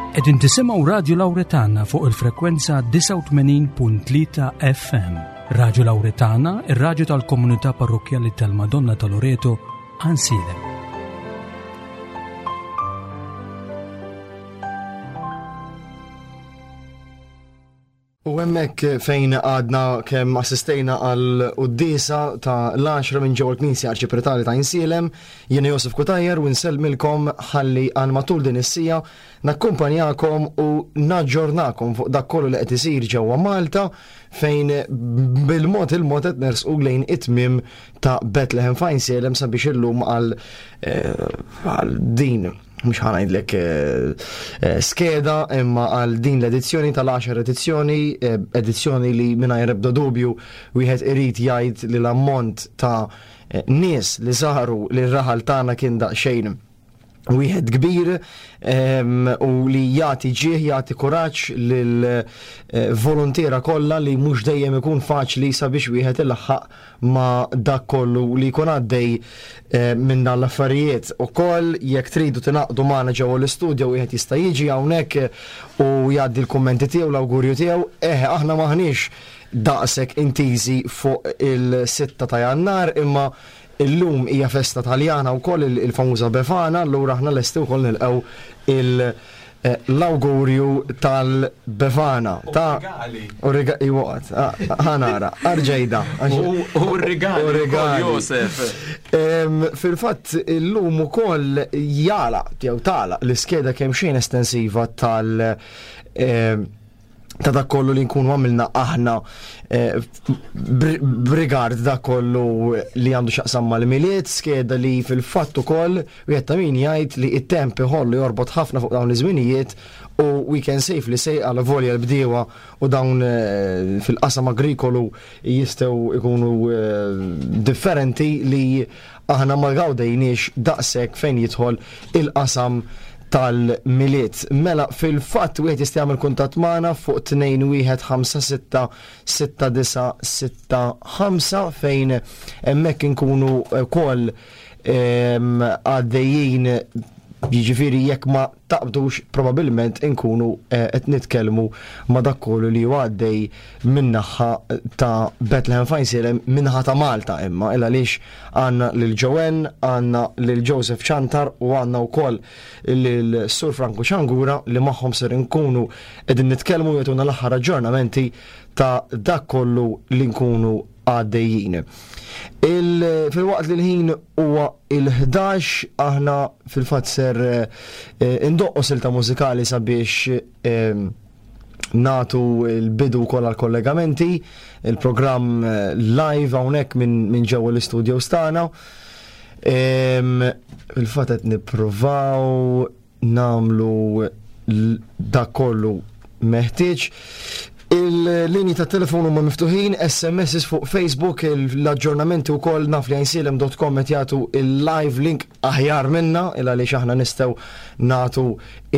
Qegħdin tisimgħu Radju Lawretana fuq il-frekwenza 89.3 FM. Radju Lawretana, ir-radju tal-komunità parrokkjali tal-Madonna ta' Loreto, Għansielem. U hemmhekk fejn għadna kemm assistejna għal quddiesa ta' l-għaxra minn ġewwa l-Knisja Arċipretali ta' Insielem, jiena Josef Cutajar u nsellmilkom ħalli għal matul din is-siegħa nakkumpanjakom u naġġornakom fuq dak kollu li qed isir ġewwa Malta fejn bil-mod il-mod qed nersqu lejn it-tmiem ta' Bethlehem f'Għajnsielem sabiex illum għal eh, għal din mhux ħanajdlek eh, eh, skeda imma għal din l-edizzjoni tal-10 edizzjoni, eh, edizzjoni li mingħajr ebda dubju wieħed irid jgħid li l-ammont ta' nies li saru li r-raħal tagħna kien daqsxejn wieħed kbir u li jagħti ġieħ, jagħti kuraġġ lil volontiera kollha li mhux dejjem ikun faċli sabiex wieħed ilaħħaq ma' dak kollu li jkun għaddej eh, minn dan l-affarijiet. Ukoll jekk tridu tingħaqdu magħna ġewwa l-istudjo wieħed jista' jiġi hawnhekk u jgħaddi l-kummenti tiegħu l-awgurju tiegħu. Eh, aħna maħniex daqshekk intiżi fuq il-6 ta' Jannar imma illum hija festa Taljana wkoll il-famuża Befana, allura aħna lesti wkoll nilqgħu il- Eh, l-awgurju tal-Befana. Ta' rigali. U rigali, waqt, ah, ħanara, arġejda. U rigali. U rigali. Josef. Fil-fatt, illum ukoll jala, jew tala, l-iskeda kemm xejn estensiva tal- ta' dak kollu li nkunu għamilna aħna eh, b'rigard dak kollu li għandu xaqsam mal-miliet, skeda li fil-fatt ukoll wieħed ta' min jgħid li it-temp iħollu jorbot ħafna fuq dawn iż-żminijiet u we can safely say għal volja l-bdiewa u dawn eh, fil-qasam agrikolu jistgħu ikunu eh, differenti li Aħna ma gawdejniex daqshekk fejn jidħol il-qasam tal-Milied. Mela fil-fatt wieħed jista' jagħmel kuntatt magħna fuq 21566965 fejn hemmhekk inkunu wkoll ehm, għaddejjin jiġifieri jekk ma taqbdux probabbilment inkunu eh, qed nitkellmu ma' dak kollu li huwa għaddej min-naħa ta' Bethlehem Fajnsielem min-naħa ta' Malta imma il għaliex għandna lil Joanne, għandna lil Joseph Ciantar u għandna wkoll lil Sur Franco Ciangura li magħhom ser inkunu qegħdin nitkellmu jagħtuna l-aħħar aġġornamenti ta' dak kollu li nkunu għaddejjin. Fil-waqt li l-ħin huwa il-11 aħna fil-fatt ser eh, indoqqu silta mużikali sabiex eh, natu l-bidu wkoll għal kollegamenti, il-programm eh, live hawnhekk minn min ġewwa l-istudio stana. Fil-fatt qed nippruvaw nagħmlu dak kollu meħtieġ. Il-linji ta' telefon huma miftuħin, SMS fuq Facebook, l-aġġornamenti wkoll naf li għajnsielem.com qed jagħtu il-live link aħjar minna il għaliex aħna nistgħu nagħtu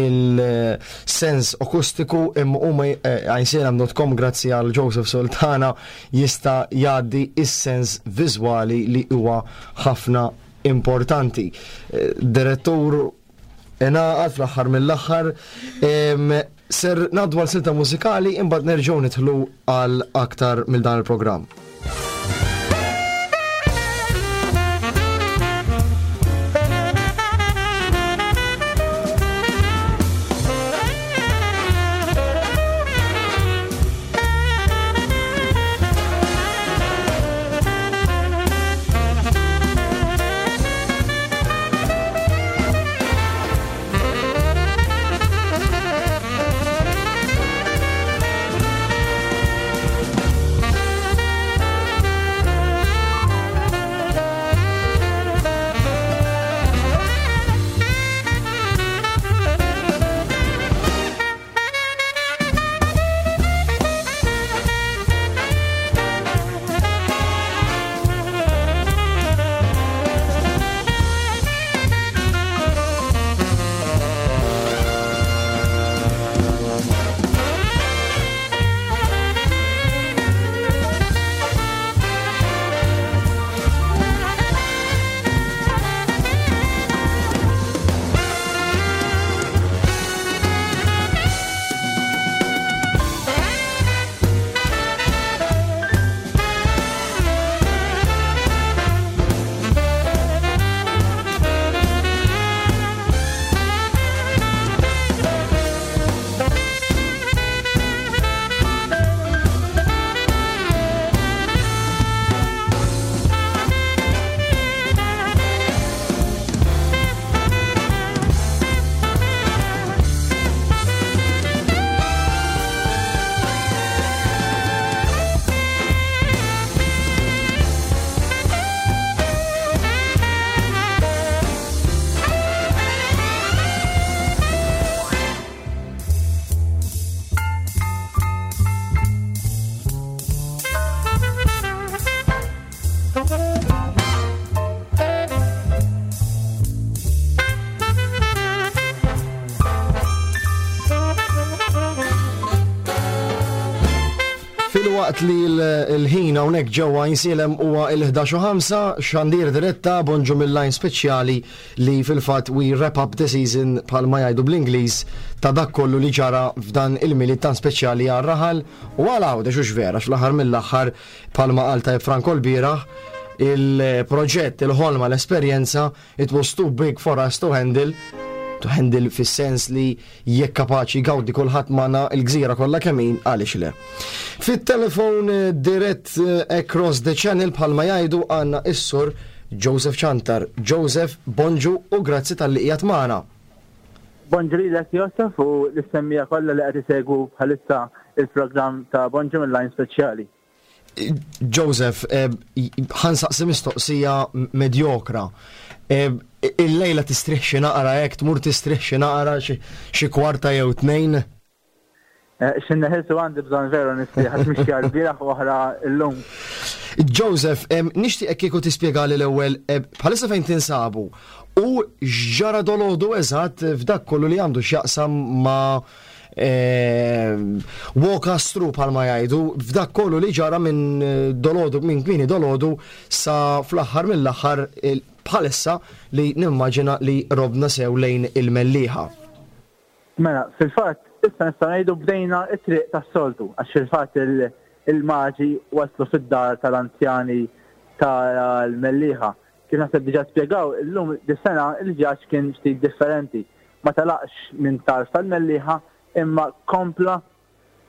il-sens akustiku imma huma eh, għajnsielem.com grazzi għal Joseph Sultana jista' jgħaddi is-sens viżwali li huwa ħafna importanti. Eh, direttur ingħaqad fl-aħħar mill-aħħar. Ser ngħaddu għal silta mużikali imbagħad nerġgħu nidħlu għal aktar mill dan il-programm. Filwaqt li l-ħin hawnhekk ġewwa Għajnsielem huwa l-11 u ħamsa, xandir diretta bonġu mill-line speċjali li fil-fatt we wrap up the season bħalma jgħidu bl-Ingliż ta' dak kollu li ġara f'dan il-Milied tant speċjali għar-raħal u għal Għawdex hux vera għax fl-aħħar mill-aħħar bħalma qal tajjeb Franco lbieraħ il-proġett, il-ħolma, l-esperjenza It was too big for us to handle, to handle fis-sens li jekk kapaċi jgawdi kulħadd magħna l-gżira kollha kemm hi, għaliex le. Fit-telefon eh, dirett eh, across the channel bħalma jgħidu għandna is-sur Joseph Ciantar. Joseph, bonġu u grazzi talli qiegħed magħna. Bonġu lilek Joseph u lis-semmiegħa kollha li qed isegwu bħalissa il-programm ta' Bonġu mill-Line Speċjali. Joseph, eh, ħansaqsi mistoqsija medjokra. Eh, il-lejla tistrieħ xi naqra hekk, tmur tistrieħ xi naqra xi kwarta jew tnejn? Eh, Xinna ħilsu għandi bżon veru nistrieħ għax mixja l-bieraħ u oħra llum. Joseph, nixtieq kieku tispjegali l-ewwel bħalissa fejn tinsabu u x'ġara dolodu eżatt f'dak kollu li għandu x'jaqsam ma' Walk us through bħalma jgħidu f'dak kollu li ġara minn eh, dolodu minn kmieni dolodu sa fl-aħħar mill-aħħar bħalissa li nimmaġina li robna sew lejn il-Mellieħa. Mela, fil-fatt, issa nistgħu ngħidu bdejna t-triq tas-soltu, għax fil-fatt il-maġi waslu fid-dar tal-anzjani tal-Mellieħa. Kif naħseb diġà spjegaw, illum dis-sena il-vjaġġ kien ftit differenti. Ma telaqx minn tarf tal-Mellieħa imma kompla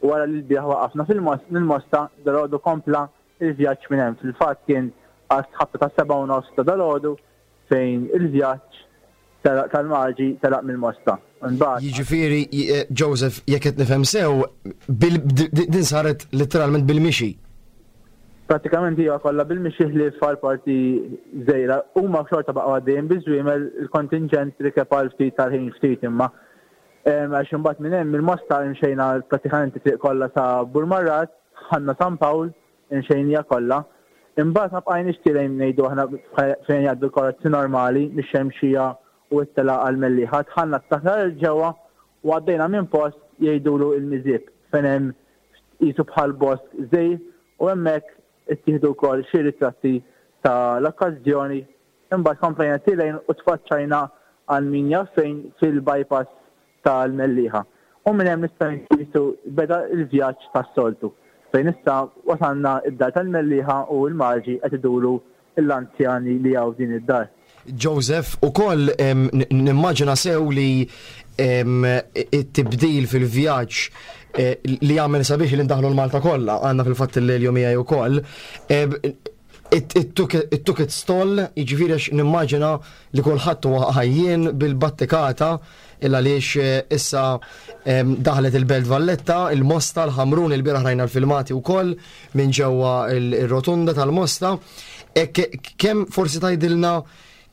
wara li lbieraħ waqafna fil-Mosta, dalgħodu kompla l-vjaġġ minn hemm. Fil-fatt kien għas-ħabta tas-sebgħa u nofs ta' dalgħodu fejn il-vjaġġ tal-Maġi telaq mill-Mosta. Imbagħad. Jiġifieri, Joseph, jekk qed nifhem sew, din saret letteralment bil-mixi. Prattikament hija kollha bil-mixi ħlief għal parti żgħira. Huma xorta baqgħu għaddejjin biż-żwiemel, il-kontinġent rikeb għal ftit tal-ħin ftit imma. Għax imbagħad minn hemm mill-Mosta imxejna prattikament it-triq kollha sa Burmarrad, dħalna San Pawl, imxejniha kollha. Imbagħad ma bqajniex tielgħin ngħidu aħna fejn jgħaddu l-karozzi normali mix-Xemxija u t-telgħa għall-Mellieħa. Dħalna aktar 'il ġewwa u għaddejna minn post jgħidulu il-Miżieb fejn hemm qisu bħal bosk żgħir u hemmhekk ittieħdu wkoll xi ritratti ta' l-okkażjoni. Imbagħad komplejna tilgħin u tfaċċajna għal min jaf fejn fil-bypass tal-Mellieħa. U minn hemm nistgħu ngħidu qisu beda l-vjaġġ tas-soltu fejn issa wasalna d-dar tal-Mellieħa u l-Maġi qed iduru l-anzjani li hawn f'din id-dar. Joseph, ukoll nimmaġina sew li it-tibdil fil-vjaġġ eh, li għamel sabiħ li ndaħlu l-Malta kollha, għandna fil-fatt il-lejl miegħi ukoll. It took its toll, jiġifieri għax nimmaġina li kulħadd huwa ħajjien bil-battikata il għaliex eh, issa daħlet il-Belt Valletta, il-Mosta, l-Ħamrun, il-bieraħ rajna l-filmati wkoll minn ġewwa il-rotunda tal-Mosta. E kemm forsi tgħidilna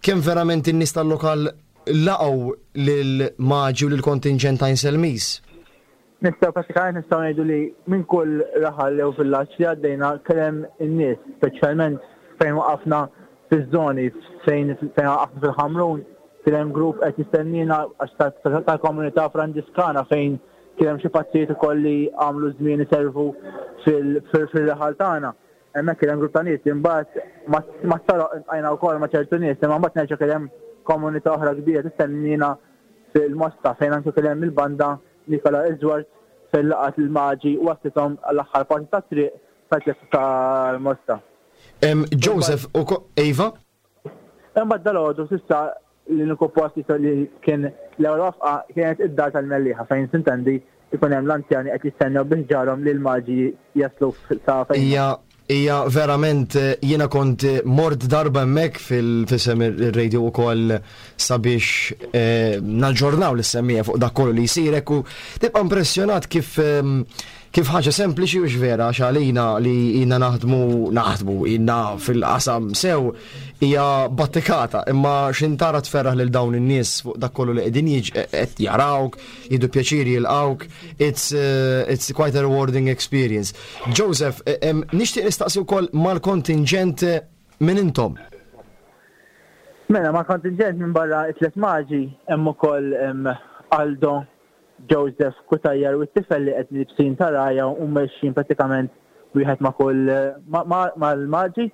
kemm verament in-nies tal-lokal laqgħu lil Maġi u lil kontinġent ta' Inselmis? Nistgħu prattikament nistgħu ngħidu li minn kull raħal jew villaġġ li għaddejna kien hemm in-nies, speċjalment fejn waqafna fiż-żoni fejn fejn waqafna fil-Ħamrun kien hemm grupp qed jistenniena għax tal-komunità Franġiskana fejn kien hemm xi patrijiet ukoll li għamlu żmien iservu fil-raħal tagħna. Hemmhekk kien hemm grupp ta' nies li mbagħad mat-toroq iltqajna wkoll ma' ċertu nies imma mbagħad nerġa' kien hemm komunità oħra kbira tistenniena fil-Mosta fejn anke kien hemm il-banda Nikola Iżwart fejn laqgħet lill-Maġi u wasslithom għall-aħħar parti tat-triq sal-pjazza tal-Mosta. Joseph, iva? Imbagħad dalgħodu s'issa l-uniku post li kien l-ewwel wafqa kienet id-dar tal-Mellieħa fejn sintendi jkun hemm l-anzjani qed jistennew bi ħġarhom li l-Maġi jaslu sa fejn. Hija hija verament jiena kont mort darba hemmhekk fil-fisem ir-radio ukoll sabiex eh, naġġornaw lis-semmiegħa fuq dak kollu li jsir hekk u tibqa' impressjonat kif ehm, Kif ħaġa sempliċi hux vera għax għalina li ilna naħdmu naħdmu ilna fil-qasam sew hija battikata imma x'in tara tferraħ lil dawn in-nies fuq dak kollu li qegħdin qed jarawk, jieħdu pjaċir jilqgħuk, it's, uh, it's quite a rewarding experience. Joseph, eh, nixtieq nistaqsi wkoll mal-kontinġent eh, min intom? Mela, mal-kontinġent minn barra it-tlet maġi hemm ukoll Aldo Joseph Cutajar u t-tifel li qed libsin ta' rgħajja u mexjin prattikament wieħed ma' kull mal-maġi.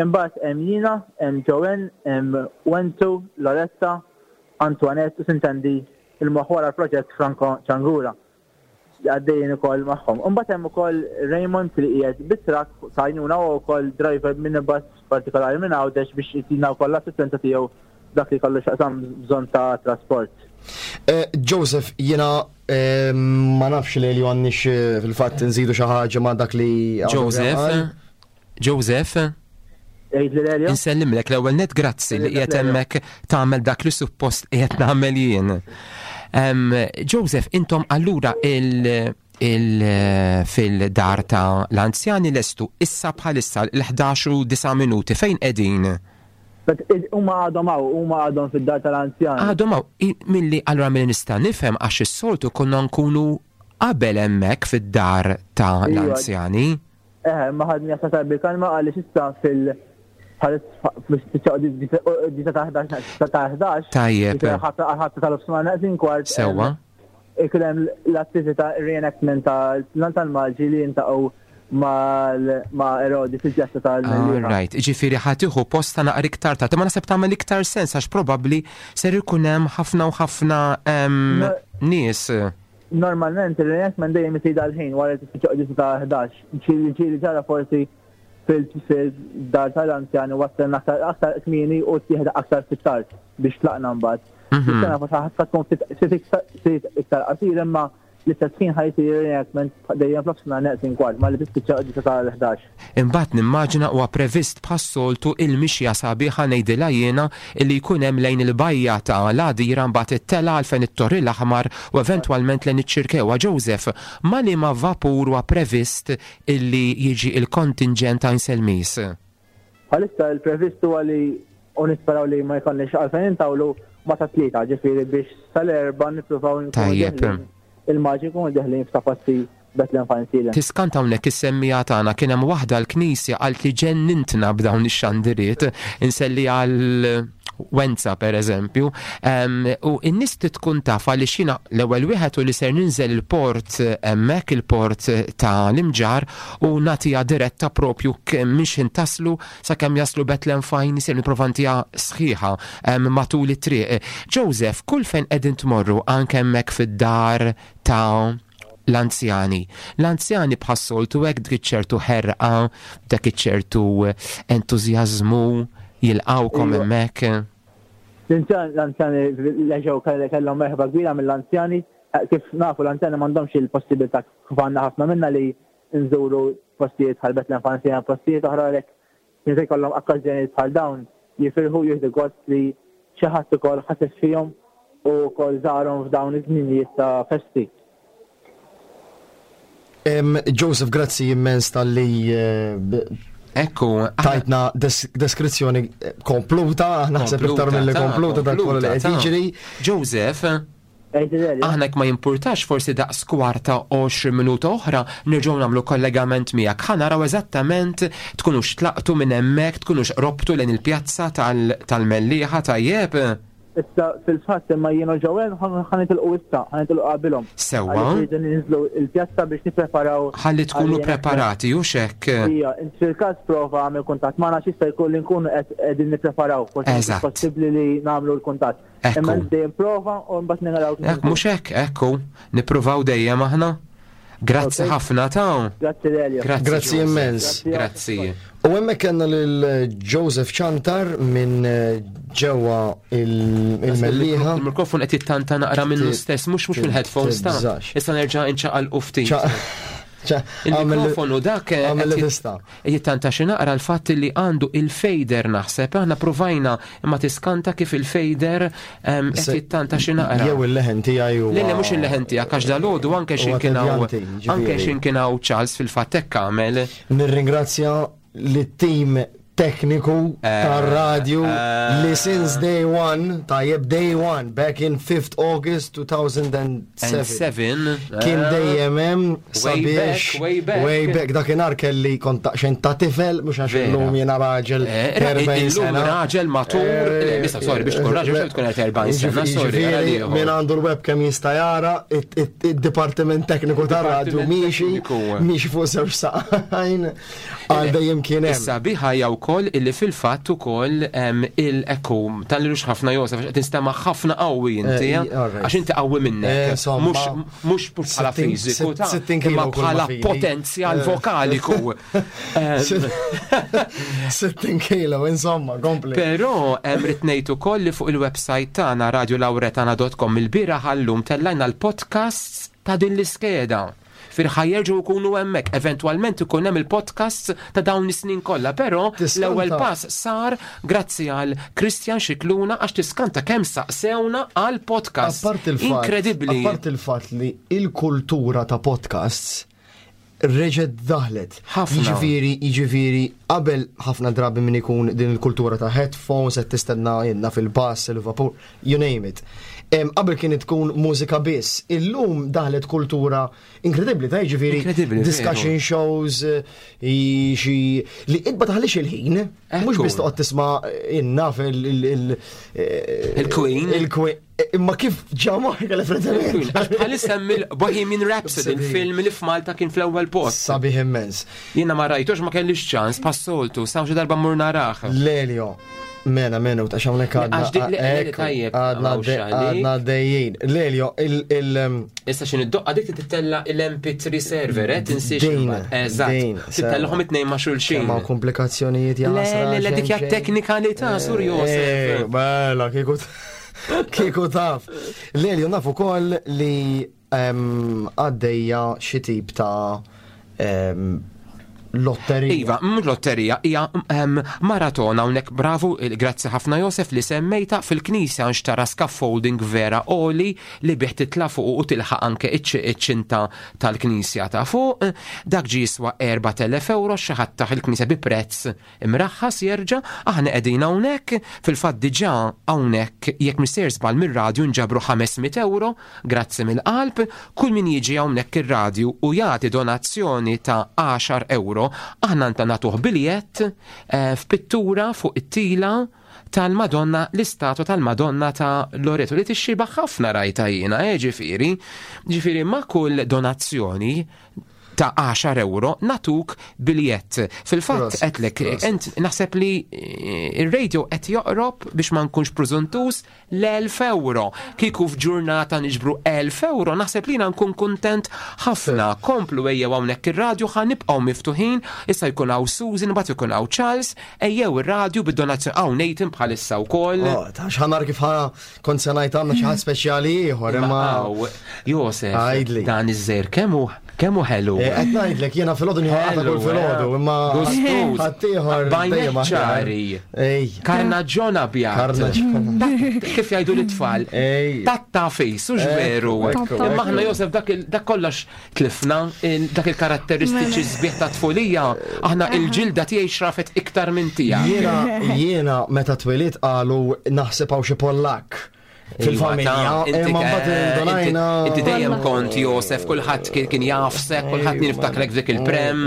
Imbagħad hemm jiena, hemm Joanne, hemm Wenzu, Loretta, Antoinette u sintendi il-moħħ wara l-proġett Franco Ciangura li għaddejjin ukoll magħhom. Imbagħad hemm ukoll Raymond li qiegħed bit-trakk ta' għajnuna u wkoll driver minibus partikolari minn Għawdex biex jtina wkoll l-assistenza tiegħu dak li kollu xaqsam bżonn ta' trasport. Eh, Joseph, jiena eh, ma nafx li li għannix eh, fil-fatt nżidu xi ħaġa ma' dak li. Joseph, Joseph, Insellimlek l-ewwel net grazzi li qiegħed hemmhekk tagħmel dak li suppost qiegħed nagħmel jien. Joseph, intom allura il- il fil-dar ta' l-anzjani lestu issa bħalissa l-11 u 9 minuti fejn qegħdin? Huma għadhom hawn, huma għadhom fid-dar tal-anzjani. Għadhom hawn, milli allura milli nista' nifhem għax is-soltu konna nkunu qabel hemmhekk fid-dar ta' iva. l-anzjani. Eħe, imma ħadni aktar bil-kalma għaliex issa fil- disa ta' 11 ta' 11. Tajjeb. Ħadd tal-ofsma naqsin kwart. Sewwa. Ikun hemm l-attività reenactment tal-Malġi li jintaqgħu ma' Erodi fil-pjazza tal-Mellieħa. Right, ġifieri ħa tieħu post ta' naqra iktar tard, imma naħseb tagħmel iktar sens għax probabbli ser ikun hemm ħafna u ħafna nies. Normalment ir-reenactment dejjem isir dal-ħin wara li tispiċċa quddiesa ta' 11. Ġieli ġieli ġara forsi fil-dar tal-anzjani wassalna aktar aktar kmieni u ttieħed aktar fit-tard biex tlaqna mbagħad. Mhm. Is-sena forsi ħadd tkun ftit iktar qasir imma l-istess ħin ħa jsir reenactment dejjem fl-ofsinhar neqsin kwart malli tispiċċa quddiesa tal-11. Imbagħad nimmaġina huwa previst bħas-soltu il-mixja sabiħa ngħidilha jiena illi jkun hemm lejn il-bajja ta' l-Għadira mbagħad it-telgħa għal fejn it-Torri l-Aħmar u eventwalment lejn iċ-Ċirkewwa. Joseph, ma' liema vapur huwa previst illi jiġi il-kontinġent Għajnselmis? Bħalissa il-previst huwa li u nisperaw li ma jkollniex għalfejn intawlu ma tat-Tlieta, ġifieri biex sal-Erbgħa nippruvaw nkunu deħlin il-maġi jkunu deħlin f'ta' passi Bethlehem Fine Sealant. Tiskanta hawnhekk is-semmiegħa tagħna kien hemm waħda l-knisja qaltli ġennintna b'dawn ix-xandiriet, inselli għal Wenza per eżempju, u n-nies trid tkun taf għaliex jiena l-ewwel wieħed u li ser ninżel il-port hemmhekk il-port ta' l-Imġarr u nagħtiha diretta propju minn x'ħin taslu sakemm jaslu Bethlehem Fine ser nipprova ntiha sħiħa matul it-triq. Joseph, kull fejn qegħdin tmorru anke hemmhekk fid-dar ta' l-anzjani. L-anzjani bħas-soltu hekk dik iċ-ċertu ħerqa, dak iċ-ċertu entużjażmu jilqgħukom iva. hemmhekk. L-anzjani reġgħu kellhom merħba kbira mill-anzjani. Eh, kif nafu l-anzjani m'għandhomx il-possibilità kif għandna ħafna minna li nżuru postijiet bħal Bethlehem Fanzjana, postijiet oħra għalhekk Meta jkollhom okkażjonijiet bħal dawn, jifirħu u jieħdu gost li xi ħadd ukoll ħaseb fihom u wkoll żarhom f'dawn iż-żminijiet ta' festi. Joseph, grazzi immens talli Ekku, tajtna deskrizzjoni kompluta, naħseb iktar mill-li kompluta dak kollu li qed jiġri. Joseph, Aħna jekk ma jimpurtax forsi daqs kwarta 20 minuta oħra nerġgħu nagħmlu kollegament miegħek. Ħa naraw eżattament tkunux tlaqtu minn hemmhekk, tkunux qrobtu lejn il-pjazza tal-Mellieħa, tajjeb? Issa fil-fatt imma jien u Joel ħa nitilqu issa, ħa nitilqu qabilhom. Sewwa. Għaliex irridu ninżlu l-pjazza biex nippreparaw. Ħalli tkunu preparati, hux hekk? Ija, int fil-każ prova agħmel kuntatt magħna għax jista' jkun li nkunu qed qegħdin nippreparaw, forsi mhux possibbli li nagħmlu l-kuntatt. Imma dejjem prova u mbagħad naraw. Hekk mhux hekk, ekku, nippruvaw dejjem aħna. Grazzi ħafna ta' Grazzi Lelio. Grazzi immens. Grazzi. U hemmhekk kellna lil Joseph Ċantar minn eh, ġewwa il-Mellieħa. Il-mikrofon qed jittanta naqra minnu stess, mhux mhux mill-headphones ta' Issa nerġa' inċaqal ftit. Il-mikrofonu dak eh, għamel li tista'. Jittanta xi naqra l-fatt li għandu il-fader naħseb, aħna pruvajna imma tiskanta kif il-fader ehm, qed jittanta xi naqra. Jew il-leħen tiegħi huwa. Le mhux il-leħen tiegħek għax dalodu anke xi kien hawn anke xi kien hawn Charles fil-fatt hekk għamel. Nirringrazzja lit-tim tekniku eh, tar-radju eh, li since day one, tajjeb day one, back in 5th August 2007, kien eh. dejjem hemm sabiex way back, way back dakinhar kelli kont daqsxejn ta' tifel mhux għax illum jiena raġel 40 sena. Raġel matur, issa sorry biex tkun raġel xejn tkun qed 40 sena, sorry. Min għandu l-webcam jista' jara id-dipartiment tekniku tar-radju miexi miexi fuq żewġ saqajn. Għal dejjem kien hemm. Is-sabiħa hija wkoll illi fil-fatt ukoll il-ekku tal-lux ħafna Josef għax qed tinstema' ħafna qawwi inti eh, għax inti qawwi minnek. Eh, mhux bħala fiżiku ta' imma bħala potenzjal eh. vokaliku. 60 kilo, insomma, kompli. Però hemm rid ngħid ukoll li fuq il-website tagħna radiolawretana.com il-bieraħ għallum tellajna l-podcasts ta' din l-iskeda. Fir ħa jerġgħu jkunu hemmhekk. Eventwalment ikun hemm il-podcasts ta' dawn is-snin kollha, però l-ewwel pass sar grazzi għal Christian Scicluna għax tiskanta kemm saqsewna għal podcast. Inkredibbli. Apparti il-fatt li il-kultura ta' podcasts reġgħet daħlet. Ħafna. Jiġifieri, jiġifieri qabel ħafna drabi min ikun din il-kultura ta' headphones qed tistenna jenna fil-bass, il-vapur, you name it. Qabel kienet tkun mużika biss, illum daħlet kultura inkredibbli ta' jiġifieri discussion shows, eh, xi li int ma taħlix il-ħin, mhux biss toqgħod tisma' innaf il- eh, Il-Queen. Il-Queen. Imma kif ġa moħħi Queen. Għax bħalissa hemm il-Bohemian Rhapsody, il-film li f'Malta kien fl-ewwel post. Sabiħ immens. Jiena ma rajtux ma kellix ċans passoltu, sa xi darba mmur narah. Lelio, mena mena u ta' hawnhekk għadna. Għadna dejjin. Lelio, il. Um, Issa x'in id-doqqa dik titella il-MP3 server, eh, tinsiex. Eżatt. Titellahom it-tnejn ma' xulxin. Ma' komplikazzjonijiet jasra. Le, le, dik hija teknikalità, Sur Josef. Eh, mela, kieku Kieku taf. Lelio, naf ukoll li għaddejja xi tip ta' lotterija. Iva, mhux lotterija, hija maratona hawnhekk bravu, grazzi ħafna Josef li semmejta fil-knisja nxtara scaffolding vera oli li bih titla' fuq u tilħaq anke iċ-ċinta tal-knisja ta' fuq. Dak ġie jiswa 4000 euro xi ħadd tah il-knisja bi prezz Imraħħas jerġa', aħna qegħdin hawnhekk, fil-fatt diġà hawnhekk jekk mhux sejjer żball mir-radju nġabru 500 ewro, grazzi mill-qalb, kull min jiġi hawnhekk ir-radju u jagħti donazzjoni ta' għaxar ewro, aħna nta nagħtuh biljett f'pittura fuq it-tila tal-Madonna, l-istatwa tal-Madonna ta' Loreto li tixxiebah ħafna rajtha jiena, eh ġifieri. Ġifieri ma' kull donazzjoni ta' 10 euro natuk biljett. Fil-fatt qedlek, ent naħseb li eh, ir-radio qed joqrob biex ma nkunx preżuntus l-1000 euro. Kieku f'ġurnata niġbru 1000 euro, naħseb li nkun kuntent ħafna. Komplu ejjew hawnhekk ir-radju ħa nibqgħu miftuħin, issa jkun hawn Susan, mbagħad ikun hawn Charles, ejjew ir-radju bid-donazzjoni hawn Nathan bħalissa wkoll. Oh, ta' x'ħanar kif Kont se ngħid għandna xi ħadd speċjali ieħor imma. Josef, dan iż-żejr kemm hu kemm hu ħelu. Eh, qed ngħidlek jiena filgħodu nieħu qata kull filgħodu eh? imma ħaddieħor dejjem ċari. Karnaġġon abjad. Karnaġġon. Kif jgħidu l-itfal? Tatta fejs, u veru. Imma aħna Josef dak kollox Tlifna dak il-karatteristiċi mela. sbieħ ta' tfulija, aħna il-ġilda tiegħi xrafet iktar minn tiegħek. Jiena jiena meta twilidt qalu naħseb hawn xi Pollak iva, fil-familja, imma mbagħad indunajna. Inti dejjem kont Josef, kulħadd kien jafsek, kulħadd niftakrek f'dik il-prem.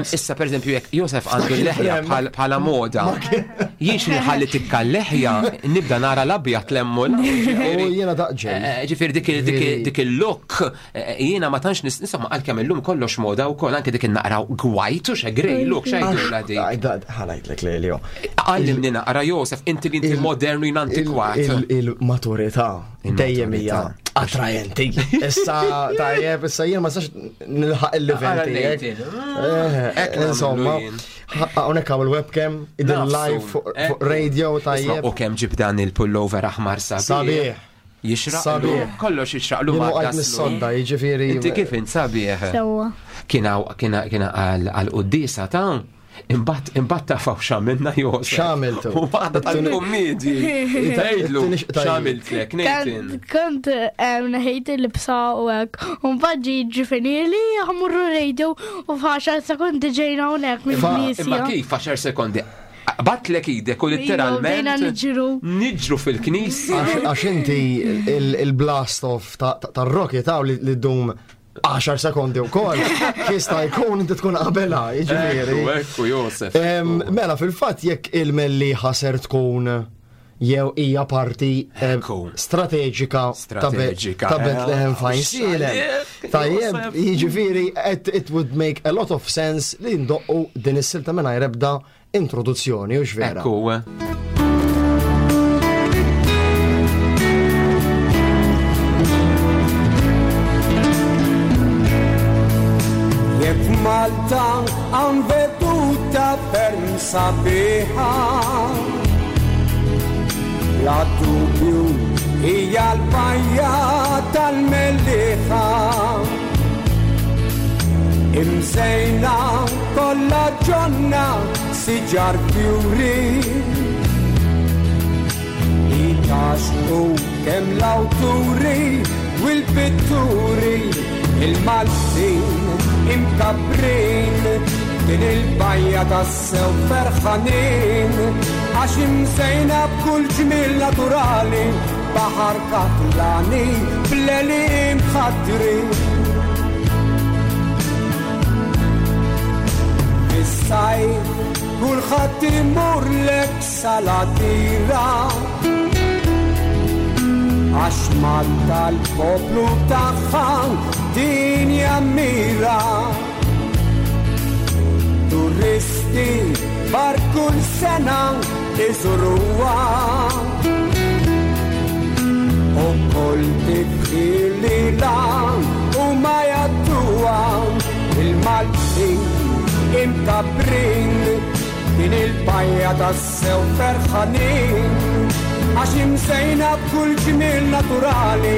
Issa pereżempju jekk Josef għandu l-leħja bħala moda. Jien xi ħalli tikka l-leħja nibda nara l-abjad lemmu. Jiena daqġel. Eh, ġifieri dik il-look Eh, jiena ma tantx nis insomma għalkemm illum kollox moda wkoll anke dik naqraw gwajt u xegrej look xejn dik. Ħanajdlek li li Għallimni naqra Josef, inti li inti modernu jien antikwat. Il-maturità dejjem hija attrajenti. Issa tajjeb, issa jien ma sax nilħaq il-livell tiegħek. Eh, insomma, hawnhekk hawn il-webcam, idin live fuq radio tajjeb. U kemm ġibdan il-pullover aħmar sabiħ. Sabiħ. Jixraq. Sabiħ. Kollox jixraqlu ma' għajt mis-sodda, jiġifieri. Inti kif int sabiħ? Sewwa. Kien kien għal qudiesa ta' Imbagħad imbagħad tafaw x'għamilna Josef. X'għamiltu? U waħda tal-kummedji. Tgħidlu x'għamiltlek Nathan. Kont neħejt il-libsa u hekk. U mbagħad ġi ġifinili ħamurru radio u f'għaxar sekondi ġejna hawnhekk mill-knisja. Imma kif għaxar sekondi? Batlek idek u litteralment. Niġru. Niġru fil-knisja. Għax inti il-blast off tar-rocket ta' li ddum 10 sekondi u kol, jista' jkun inti tkun qabela, jiġifieri. Ekku, Josef. Mela, fil-fatt jekk il-melli ħaser tkun jew hija parti strateġika ta' Bethlehem fajn sielem. Tajjeb, jiġifieri it would make a lot of sense li ndoqqu din is-silta mingħajr ebda introduzzjoni, u vera. Ekku. Jekk Malta hawn veduta ferm sabiħa Bla dubju hija l-bajja tal-Mellieħa Imżejna kollha ġonna siġar fjuri Li taxqu kemm l-awturi u l-pitturi il-Maltin imkabbrin din il-bajja tassew ferħanin għax imżejna b'kull ġmiel naturali baħar katlani bl-għeliem mħaddrin. Fis-sajf kulħadd imur lek salatira għax Malta l-poplu tagħha din jammira. Turisti bar kull sena iżuruha u kull tifħir li lan u ma jadduha il-Maltin imkabbrin din il-bajja tassew ferħanin għax imsejna b'kull ġmiel naturali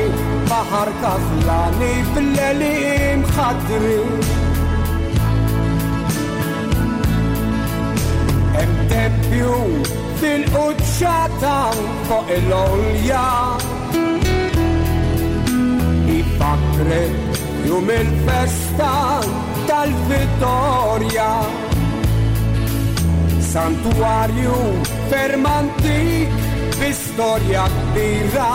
baħar kaflani bil-għeliem ħadrin. Hemm tempju fil-quċċata fuq il-għolja Ifakret jum il-festa tal-Vittorja Santuarju ferm antik bi storja kbira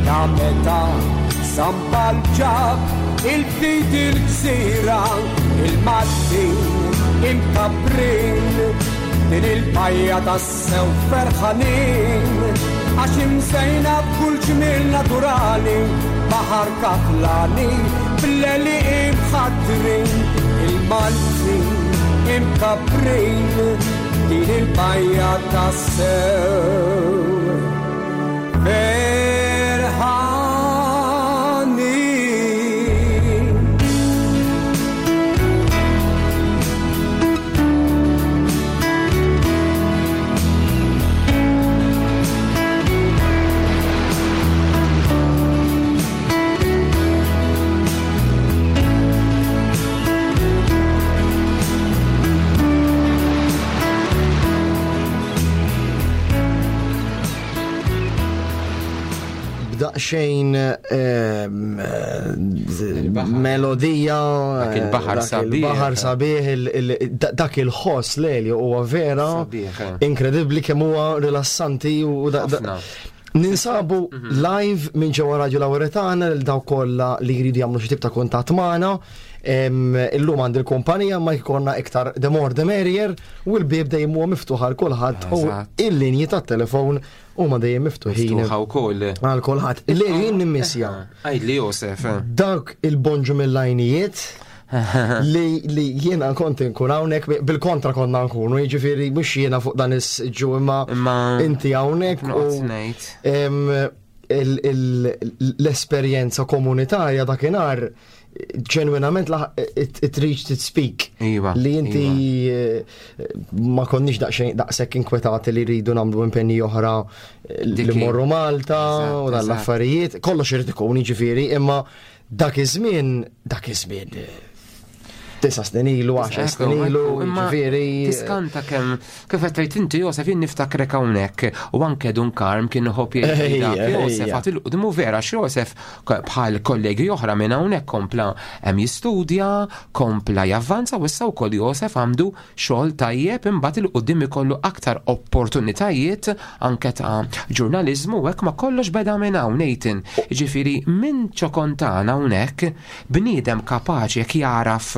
Ta' meta San Pawl ġab il-fidi il-gżira il-Maltin imkabbrin din il-bajja tassew ferħanin għax imsejna b'kull ġmiel naturali baħar katlani bl-għelieqi mħaddrin il-Maltin imkabbrin din il-bajja tassew ferħanin. B'daqsxejn melodija, Dak il-baħar dak sabiħ. il-baħar sabiħ, dak il-ħoss leli huwa vera Sabiħ, eh. inkredibbli kemm huwa rilassanti u Ħafna. Ninsabu live minn ġewwa Radio Lauretana lil dawk kollha li jridu jagħmlu xi tip ta' kuntatt magħna. Illum għandi l-kumpanija ma jkollna iktar the more the merrier u l-bieb dejjem huwa miftuħ għal kulħadd u il-linji tat-telefon huma dejjem miftuħin. Miftuħa wkoll. Għal kulħadd. Li jien nimmissja. Għidli Josef. Dawk il-bonġu mill-lajnijiet li jiena kont inkun hawnhekk bil-kontra konna nkunu, jiġifieri mhux jiena fuq dan is-ġu imma inti hawnhekk u l-esperjenza komunitarja dakinhar ġenwinament it reached its peak. Iva, Li inti ma konniex daqsxejn daqshekk inkwetati li rridu nagħmlu impenji oħra li Dik hi. morru Malta u dan l-affarijiet, kollox irid ikun jiġifieri, imma dak iż-żmien, dak iż-żmien. Tisa snin ilu, 10 snin ilu, ġifieri. Tiskanta kemm kif qed tgħid inti Josef jien niftakrek hawnhekk u anke Dun Karm kien iħobb jgħid Josef għad il-qudmu vera x'Josef bħal kollegi oħra minn hawnhekk kompla hemm jistudja, kompla javvanza u issa wkoll Josef għandu xogħol tajjeb imbagħad il quddiem ikollu aktar opportunitajiet anke ta' ġurnaliżmu u hekk ma kollox beda minn hawn Nathan. Ġifieri minn ċokontana hawnhekk Bniedem kapaċi jekk jagħraf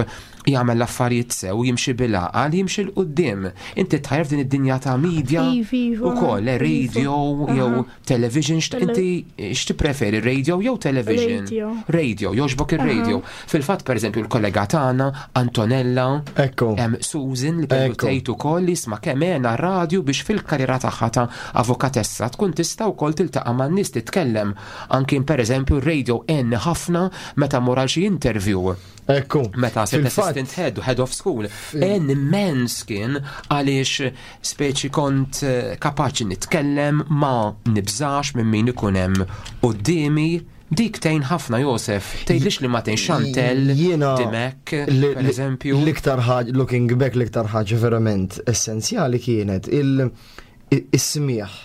jagħmel l-affarijiet sew, jimxi bil-għaqal, jimxi 'l quddiem. Inti tħajjar f'din id-dinja ta' media ukoll, eh, radio jew television, inti x'tippreferi, radio jew television? Radio, jogħġbok ir-radio. Fil-fatt pereżempju l-kollega tagħna Antonella, Ekku. Susan li kellu tgħid ukoll li isma' kemm għena r-radju biex fil-karriera tagħha ta' avukatessa tkun tista' wkoll tiltaqa' man-nies titkellem. Anki pereżempju r-radio għenni ħafna meta mmur għal xi interview. Ekku. Meta sirt assistant head u head of school. Għen immens kien għaliex speċi kont eh, kapaċi nitkellem ma nibżax minn min ikun hemm quddiemi. Dik tgħin ħafna Josef, tgħidlix li ma tgħin Chantel, Dimek, per eżempju. L-iktar ħaġa, looking back, l-iktar ħaġa verament essenzjali kienet il-smieħ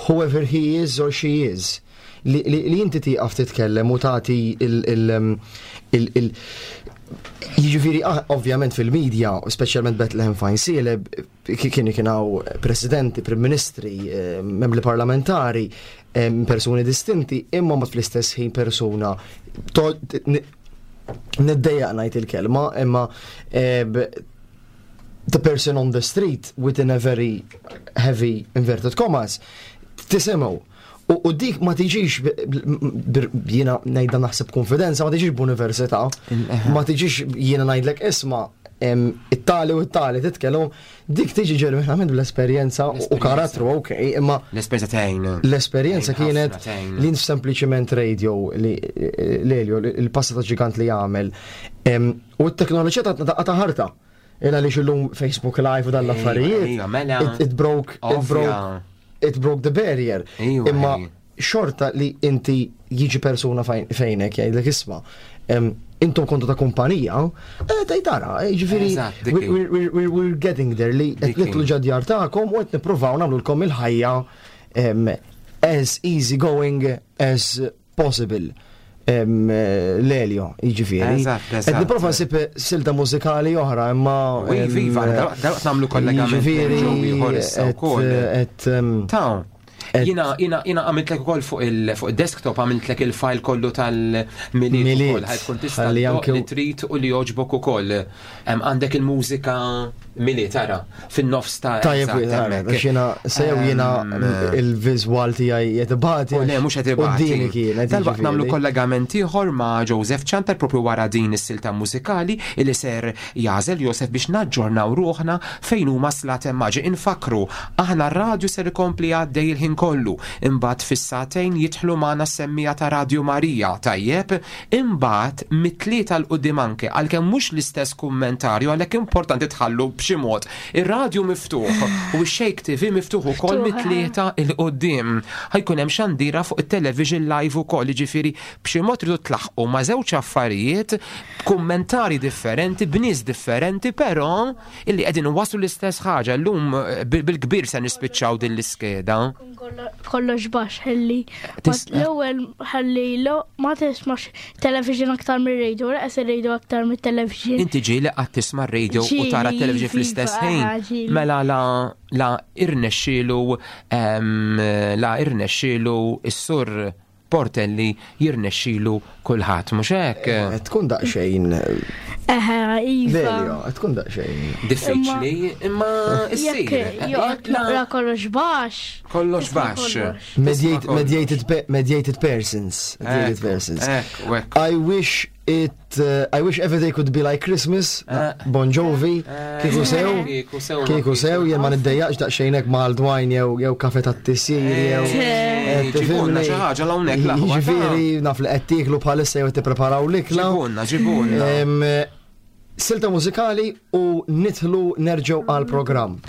whoever he is or she is, li, li, li inti tieqaf titkellem u tagħti il, il, il, il Jiġifieri ah, ovvjament fil-medja, speċjalment Bethlehem Fine kien kien hawn presidenti, prim ministri, eh, membri parlamentari, eh, persuni distinti, imma ma fl-istess ħin persuna niddejjaq ngħid il-kelma, imma eh, the person on the street within a very heavy inverted commas tisimgħu. U dik ma tiġix jiena ngħidha naħseb konfidenza, ma tiġix b'università, ma tiġix jiena ngħidlek isma' it-tali u it-tali titkellem, dik tiġi ġenwinament bl-esperjenza u karattru, ok, imma. L-esperjenza tgħin. L-esperjenza kienet li sempliċiment radio li l-Elio, il-passa ta' ġigant li jagħmel. U t-teknoloġija tatna daqqa ta' ħarta. Il għaliex illum Facebook Live u dan l-affarijiet. Mela. It broke, it broke, it broke the barrier. Imma xorta li inti jiġi persuna fejnek jgħidlek isma' intom kontu ta' kumpanija, eh, tgħid tara, eh, ġifieri we're getting there li qed nitlu ġadjar tagħkom u qed nippruvaw nagħmlulkom il-ħajja as easy going as possible l-Elio, jiġifieri. Qed nipprova nsib silta mużikali oħra, imma. Viva, dal-waqt nagħmlu kollegament. Jiġifieri. Ta' Jina, jina, jina għamiltlek ukoll fuq il-desktop għamiltlek il-file kollu tal-miliet ukoll, ħaj tkun tista' li trid u li jogħġbok ukoll. Għandek il-mużika Milied ara, fin-nofs ta' Tajjeb, għax jiena sew jiena il-viżwal tiegħi qed ibati. U le mhux qed ibati. Qudiemi kienet. Dalwaqt nagħmlu kollegament ieħor ma' Joseph Ciantar propju wara din is-silta mużikali li ser jagħżel Joseph biex naġġornaw ruħna fejn huma Slaten Maġi. Infakkru, aħna r-radju ser ikompli għaddej il-ħin kollu. Imbagħad fis-sagħtejn jidħlu magħna s-semmiegħa ta' Radju Marija, tajjeb? Imbagħad mit-Tlieta 'l quddiem anke, għalkemm mhux l-istess kummentarju għalhekk importanti tħallu b'xi mod ir-radju miftuħ u x-Shake TV miftuħ ukoll mit-Tlieta 'l quddiem. Ħa jkun hemm xandira fuq it-television live ukoll, jiġifieri b'xi mod tridu tlaħħqu ma' żewġ affarijiet b'kummentarji differenti, b'nies differenti però illi qegħdin iwasslu l-istess ħaġa. Illum bil-kbir se nispiċċaw din l-iskeda. Kollox baxx ħalli. L-ewwel ħalli ma tismax television aktar mir-radio, laqas ir-radio aktar mit-television. Inti ġieli qatt tisma' r-radio u tara t-television fl-istess ħin. Mela la la irnexxielu la irnexxielu s-sur Portelli jirnexxilu kulħadd, mhux hekk? Qed tkun daqsxejn. Eħe, iva. Delio, qed tkun daqsxejn. Diffiċli, imma issir. Jekk naqra kollox baxx. Kollox baxx. Mediated mediated persons. Mediated persons. I wish it I wish every day could be like Christmas, eh. Bon Jovi, eh. kieku sew, kieku sew, jien ma niddejjaqx daqsxejn hekk ma' dwajn jew jew kafe tat-tisir jew. Eh, ġibunna xi ħaġa hawnhekk l-aħwa. Jiġifieri naf li qed tieklu bħalissa jew tippreparaw l-ikla. Ġibunna, ġibunna. Silta mużikali u nidħlu nerġgħu għall-programm.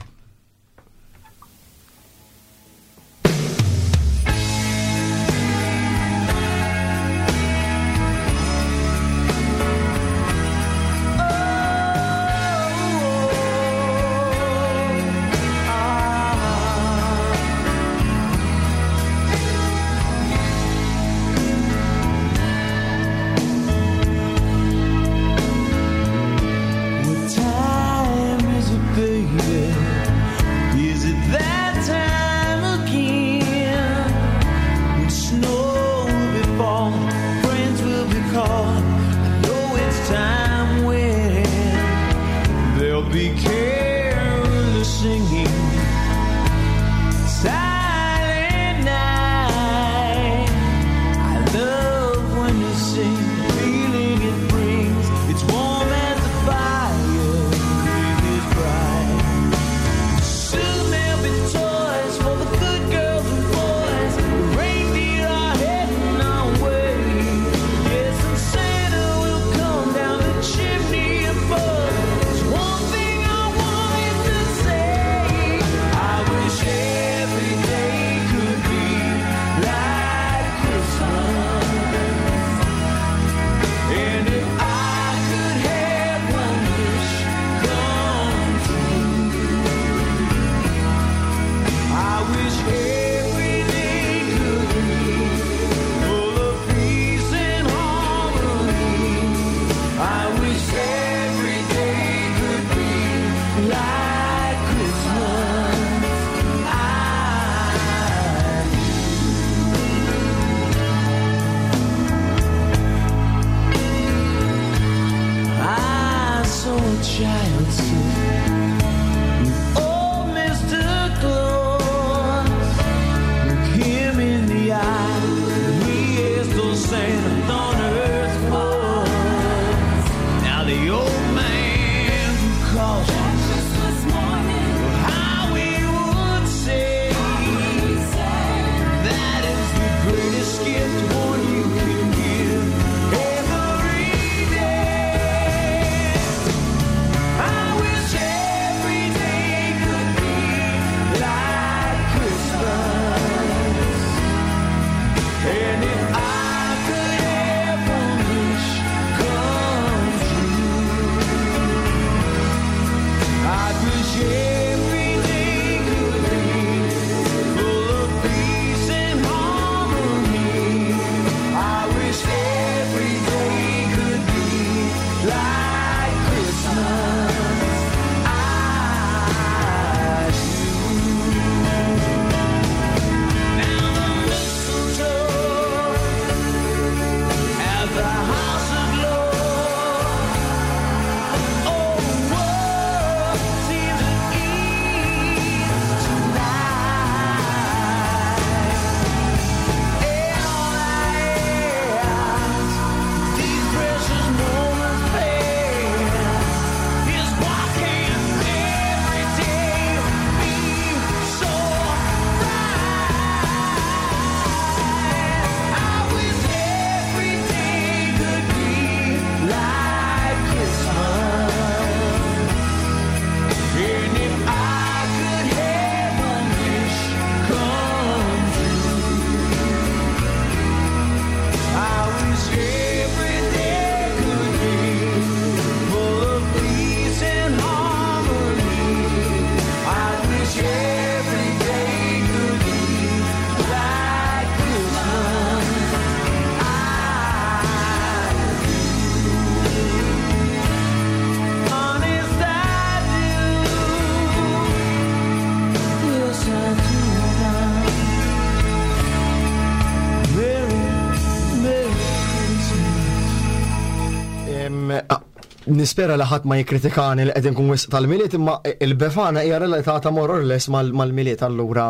Nispera li ħadd ma jikkritikani li qed inkun wisq tal-Milied imma il-Befana hija relatata more or less mal-Milied allura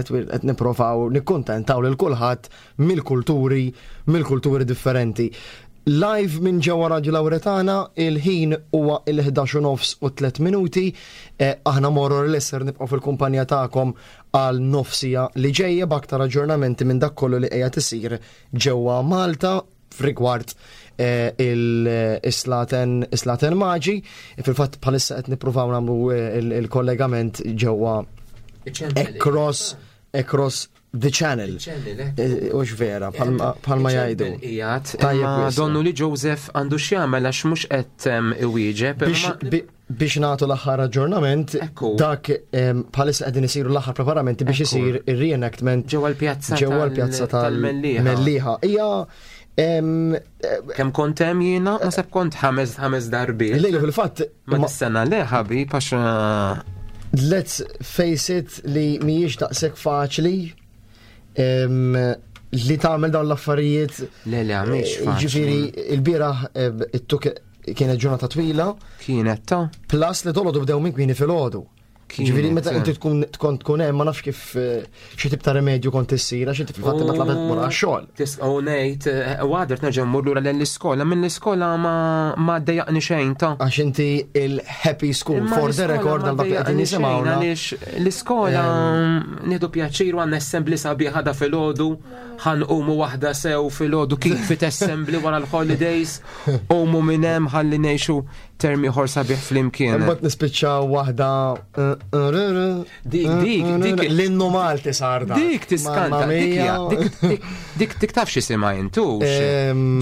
qed nipprovaw nikkuntentaw lil kulħadd mill-kulturi mill-kulturi differenti. Live minn ġewwa Radju Lawretana, il-ħin huwa il-11 u nofs u 3 minuti. Eh, aħna more or less ser nibqgħu fil-kumpanija tagħkom għal nofsija li ġejja b'aktar aġġornamenti minn dak kollu li qiegħed isir ġewwa Malta f'rigward eh, il-Slaten Slaten Maġi. Fil-fatt bħalissa qed nippruvaw nagħmlu eh, il-kollegament ġewwa across across the channel. Eh, ux vera, bħalma jgħidu. Tajjeb, donnu li Joseph għandu x'jagħmel għax mhux qed iwieġeb. Biex nagħtu l-aħħar aġġornament, dak bħalissa qegħdin isiru l-aħħar preparamenti biex isir ir-reenactment ġewwa l-pjazza ġewwa l-pjazza tal-Mellieħa. Hija Kemm kont hemm jiena, naħseb kont ħames ħames darbiet. Lejlu fil-fatt. Ma dis-sena le ħabib għax eh, Let's face it li mhijiex daqshekk faċli li tagħmel dawn l-affarijiet. Le le mhix eh, faċli. Ġifieri il-bieraħ it-tuk Kienet ġurnata twila. Kienet ta' Plus li dolodu bdew minn kmini fil-ħodu. Ġifieri meta inti tkun tkun tkun hemm ma nafx kif eh, xi tip ta' remedju kont issir għax inti fil-fatt ma tlabet tmur għax-xogħol. Tisqgħu ngħid eh, għadert nerġa' mmur lura lejn l-iskola, minn l-iskola ma ma dejjaqni xejn ta' Għax inti il-happy school for the record għal dak li qegħdin jisimgħuna. Għaliex l-iskola nieħdu pjaċir u għandna assembly sabiħa da filgħodu, ħanqumu waħda sew filgħodu kif fit assembly wara l-holidays. Qumu minn hemm ħalli ngħixu term ieħor sabiħ flimkien. Imbagħad nispiċċaw waħda Dik dik dik l-innu Malti sar dak. Dik tiskanta, dik dik dik taf x'isimha intux.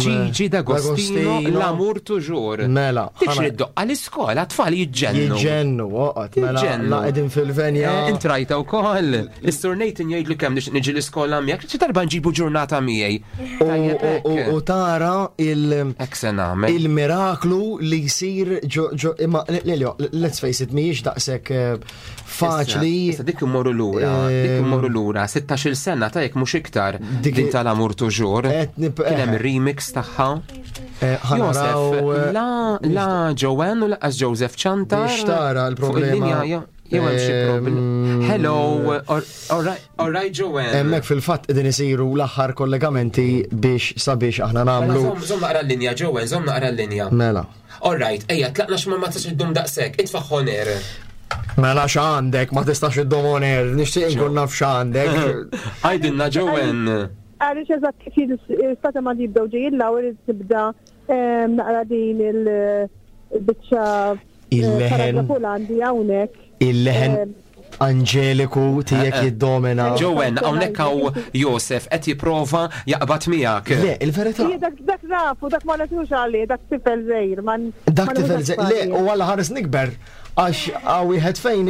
Gigi D'Agostino l-amur toujours. Mela. Dik xi ddoqqa l-iskola tfal jiġġennu. Jiġġennu, oqgħod, mela la qegħdin fil-venja. Eh, intrajta wkoll. Is-Sur Nathan jgħidlu kemm niġi l-iskola miegħek, xi darba nġibu ġurnata miegħi. U tara il-miraklu li jsir ġo imma Lelio, let's face it, mhijiex daqshekk eh, faċli. Issa dik immorru lura, dik eh, immorru lura, 16-il sena ta' jekk mhux iktar din tal-amur tuġur. Kien hemm remix tagħha. Eh, Josef, la la Joanne u laqas Joseph Ċantar. Biex tara l-problema. Jew hemm xi problem. Hello, all right Joanne. Hemmhekk fil-fatt qegħdin isiru l-aħħar kollegamenti biex sabiex aħna mela, nagħmlu. Żomm naqra l-linja Joanne, żomm naqra l-linja. Mela. All right, ejja tlaqna x'ma ma tistax iddum daqshekk, itfa' ħoner. Mela x'għandek, ma tistax iddum oner, nixtieq inkun naf x'għandek. Għajdilna Joanne. Għaliex eżatt kif jistata ma jibdew ġejjin l-ewwel tibda naqra din il-biċċa Il-leħen. Il-leħen anġeliku tiegħek eh, eh. jiddomina. Jowen, hawnhekk hawn Josef qed jipprova jaqbad miegħek. Le, il-verità. Dak dak nafu, dak ma nafux għalih, dak tifel żgħir. Dak tifel żgħir. Le, u għalla ħares nikber għax għaw wieħed fejn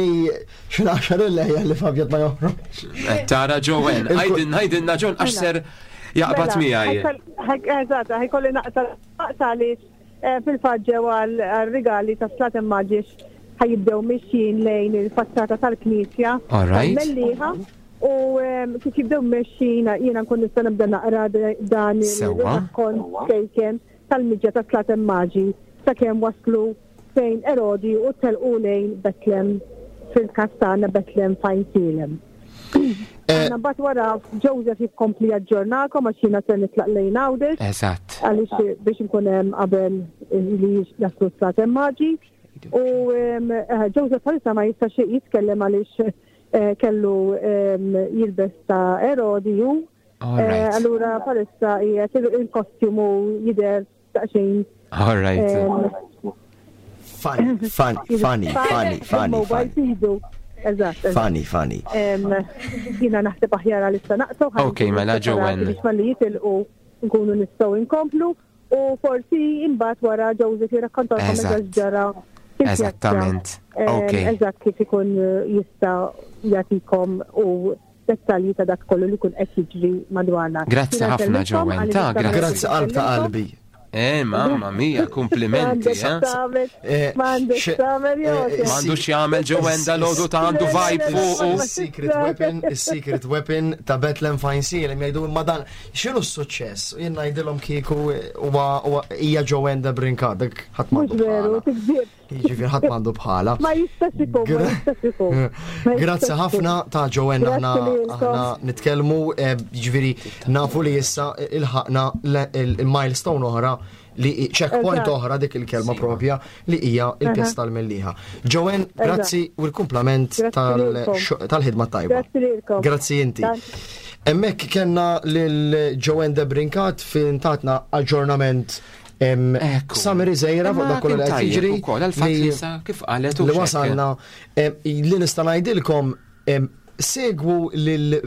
xi il-leħja li fabjat ma joħroġ. Eh, tara Jowen, għajdin għajdinna John għax ser jaqbad mela, miegħi. Eżatt, ħajkolli naqta' naqta' għaliex eh, fil-fatt ġew għal-rigali ta' Slat Immaġix ħajibdew mixjin lejn il-faċċata tal-Knisja. Mellieħa. U ehm, kif jibdew mexjin jiena nkun nista' nibda naqra dan il-rakkont kejken tal-miġja ta' Slat Immaġi sakemm waslu fejn Erodi u telqu lejn Betlem fil-każ tagħna Betlem fejn Sielem. Eh, Aħna mbagħad wara Joseph jikkompli jaġġornakom għax jiena se nitlaq lejn Għawdex. Eżatt. Għaliex biex nkun hemm qabel li jaslu s-sat maġi. U eh, Joseph bħalissa ma jistax jitkellem għaliex eh, kellu jilbes ta' Erodi ju. Allura bħalissa qiegħed il-kostjumu jidher daqsxejn. All right. Funny, funny, funny, funny, funny. Eżatt. Funny, funny. Jina naħseb aħjar għalissa naqtaw. Ok, mela Joanne. Biex malli jitilqu nkunu nistgħu inkomplu u forsi imbagħad wara Joseph jirrakkontalkom eżatt ġara. Eżattament. Ok. Eżatt kif ikun jista' jagħtikom u dettalji ta' dak kollu li kun qed jiġri madwarna. Grazzi ħafna Joanne, ta' grazzi. Grazzi qalb ta' qalbi. Eh, mamma mia, komplimenti, eh. M'għandux tagħmel eh, M'għandux jagħmel Joanne dal-għodu ta' għandu vibe fuq. Secret weapon, is-secret weapon ta' Bethlehem Fine Seal, jgħidu imma dan x'inhu s-suċċess? Jien ngħidilhom kieku huwa hija Joanne de Brincat, dak ħadd m'għandu. Veru, tikdib. Jiġifieri ħadd m'għandu bħala. Ma jistax ikun, ma jistax ikun. Grazzi ħafna ta' Joanne aħna aħna nitkellmu, eh, jiġifieri nafu li issa ilħaqna il-milestone oħra li checkpoint oħra dik il-kelma propja li hija il-pjazza tal-Mellieħa. Joanne, grazzi u l-kumplament tal-ħidma tajba. Grazzi inti. Emmek kellna lil Joanne Debrincat fin tatna aġġornament Samiri Zejra fuq dak kollu li qed jiġri. Kif qalet li wasalna li nista' ngħidilkom segwu lil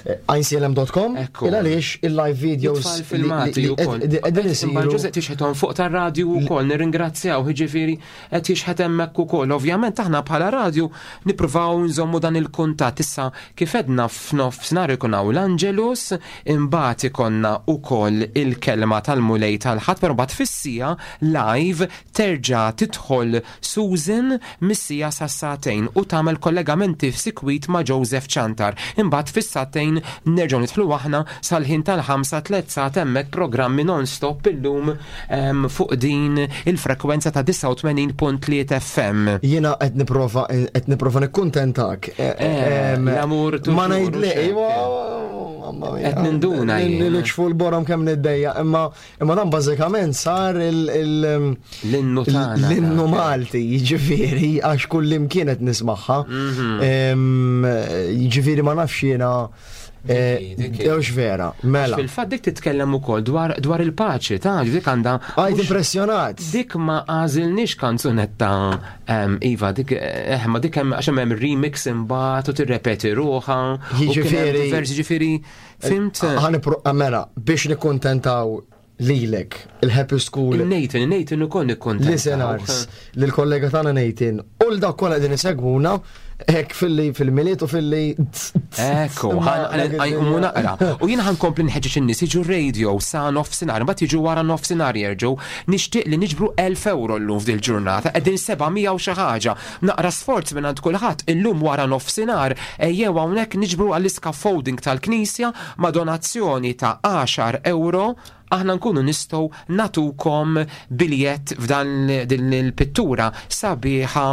iclm.com il għaliex il-live videos filmati ukoll. Qegħdin isiru. Ġużepp tixħethom fuq tar-radju wkoll nirringrazzjaw jiġifieri qed jixħet hemmhekk ukoll. Ovvjament aħna bħala radju nippruvaw nżommu dan il-kuntatt. Issa kif għedna f'nofsinhar ikun hawn l-Angelus, imbagħad ikollna wkoll il-kelma tal-Mulej tal-Ħadd, però mbagħad fis-siegħa live terġa' tidħol Susan mis-siegħa sas-sagħtejn u tagħmel kollegamenti f'sikwit ma' Joseph Ciantar. Imbagħad fis-sagħtejn nerġgħu nidħlu aħna sal-ħin tal-ħamsa tlett sagħat hemmhekk programmi non-stop illum fuq din il-frekwenza ta' 89.3 FM. Jiena qed nipprova qed nipprova nikkuntentak. Eh, eh, l-amur Ma ngħidli, iva, Qed ninduna jien. Nikxfu l-borom kemm niddejja, imma imma dan bażikament sar il l-innu tagħna. L-innu Malti, jiġifieri għax kull imkien qed nismagħha. Mhm. Jiġifieri ma nafx jiena Ewx eh, vera, mela. Fil-fatt dik titkellem ukoll dwar, dwar il-paċi, ta' dik għandha. Għajt impressjonat. Dik ma għażilniex kanzunetta Iva, dik eh, ma dik hemm għax hemm remix imbagħad u tirrepeti ruħha. Jiġifieri. Jiġifieri, fimt? Ħanipro mela biex nikkuntentaw lilek, il-Happy School. Nathan, Nathan ukoll nikkontent. Listeners, lill-kollega tagħna Nathan, u l-dak kollha qegħdin isegwuna, hekk filli fil-miliet u filli. Ekku, għajmu naqra. U jien ħankompli nħeġġeġ in-nies jiġu radio sa nofsinhar, mbagħad jiġu wara nofsinhar jerġgħu. Nixtieq li niġbru 1000 euro llum f'dil ġurnata, qegħdin 700 u xi ħaġa. Naqra sforz minn għand kulħadd illum wara nofsinhar ejjew hawnhekk niġbru għall-iscaffolding tal-knisja ma' donazzjoni ta' 10 euro aħna nkunu nistgħu nagħtukom biljett f'dan din il-pittura sabiħa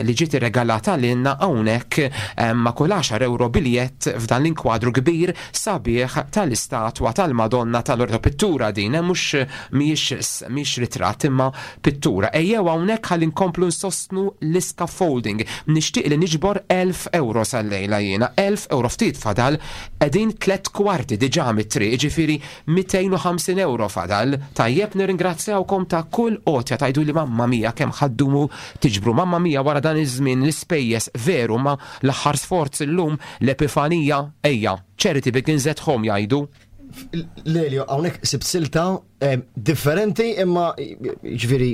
li ġiet irregalata lilna hawnhekk ma' kull 10 euro biljett f'dan l-inkwadru kbir sabiħ tal-istatwa tal-Madonna tal-Loreto. Pittura din, mhux mhijiex mhijiex ritratt imma pittura. Ejjew hawnhekk ħalli nkomplu nsostnu l-iscaffolding. Nixtieq li niġbor 1000 euro sal-lejla jiena, 1000 euro ftit fadal Qegħdin tlett kwarti diġà mit-triq, jiġifieri 250 ewro fadal. Tajjeb nirringrazzjawkom ta' kull għotja tgħiduli mamma mia kemm ħa ddumu tiġbru mamma mia wara dan iż-żmien l-ispejjeż veru ma l-aħħar sforz illum l-Epifanija ejja charity begins at home jgħidu. Lelio, hawnhekk sibt silta differenti imma ġifieri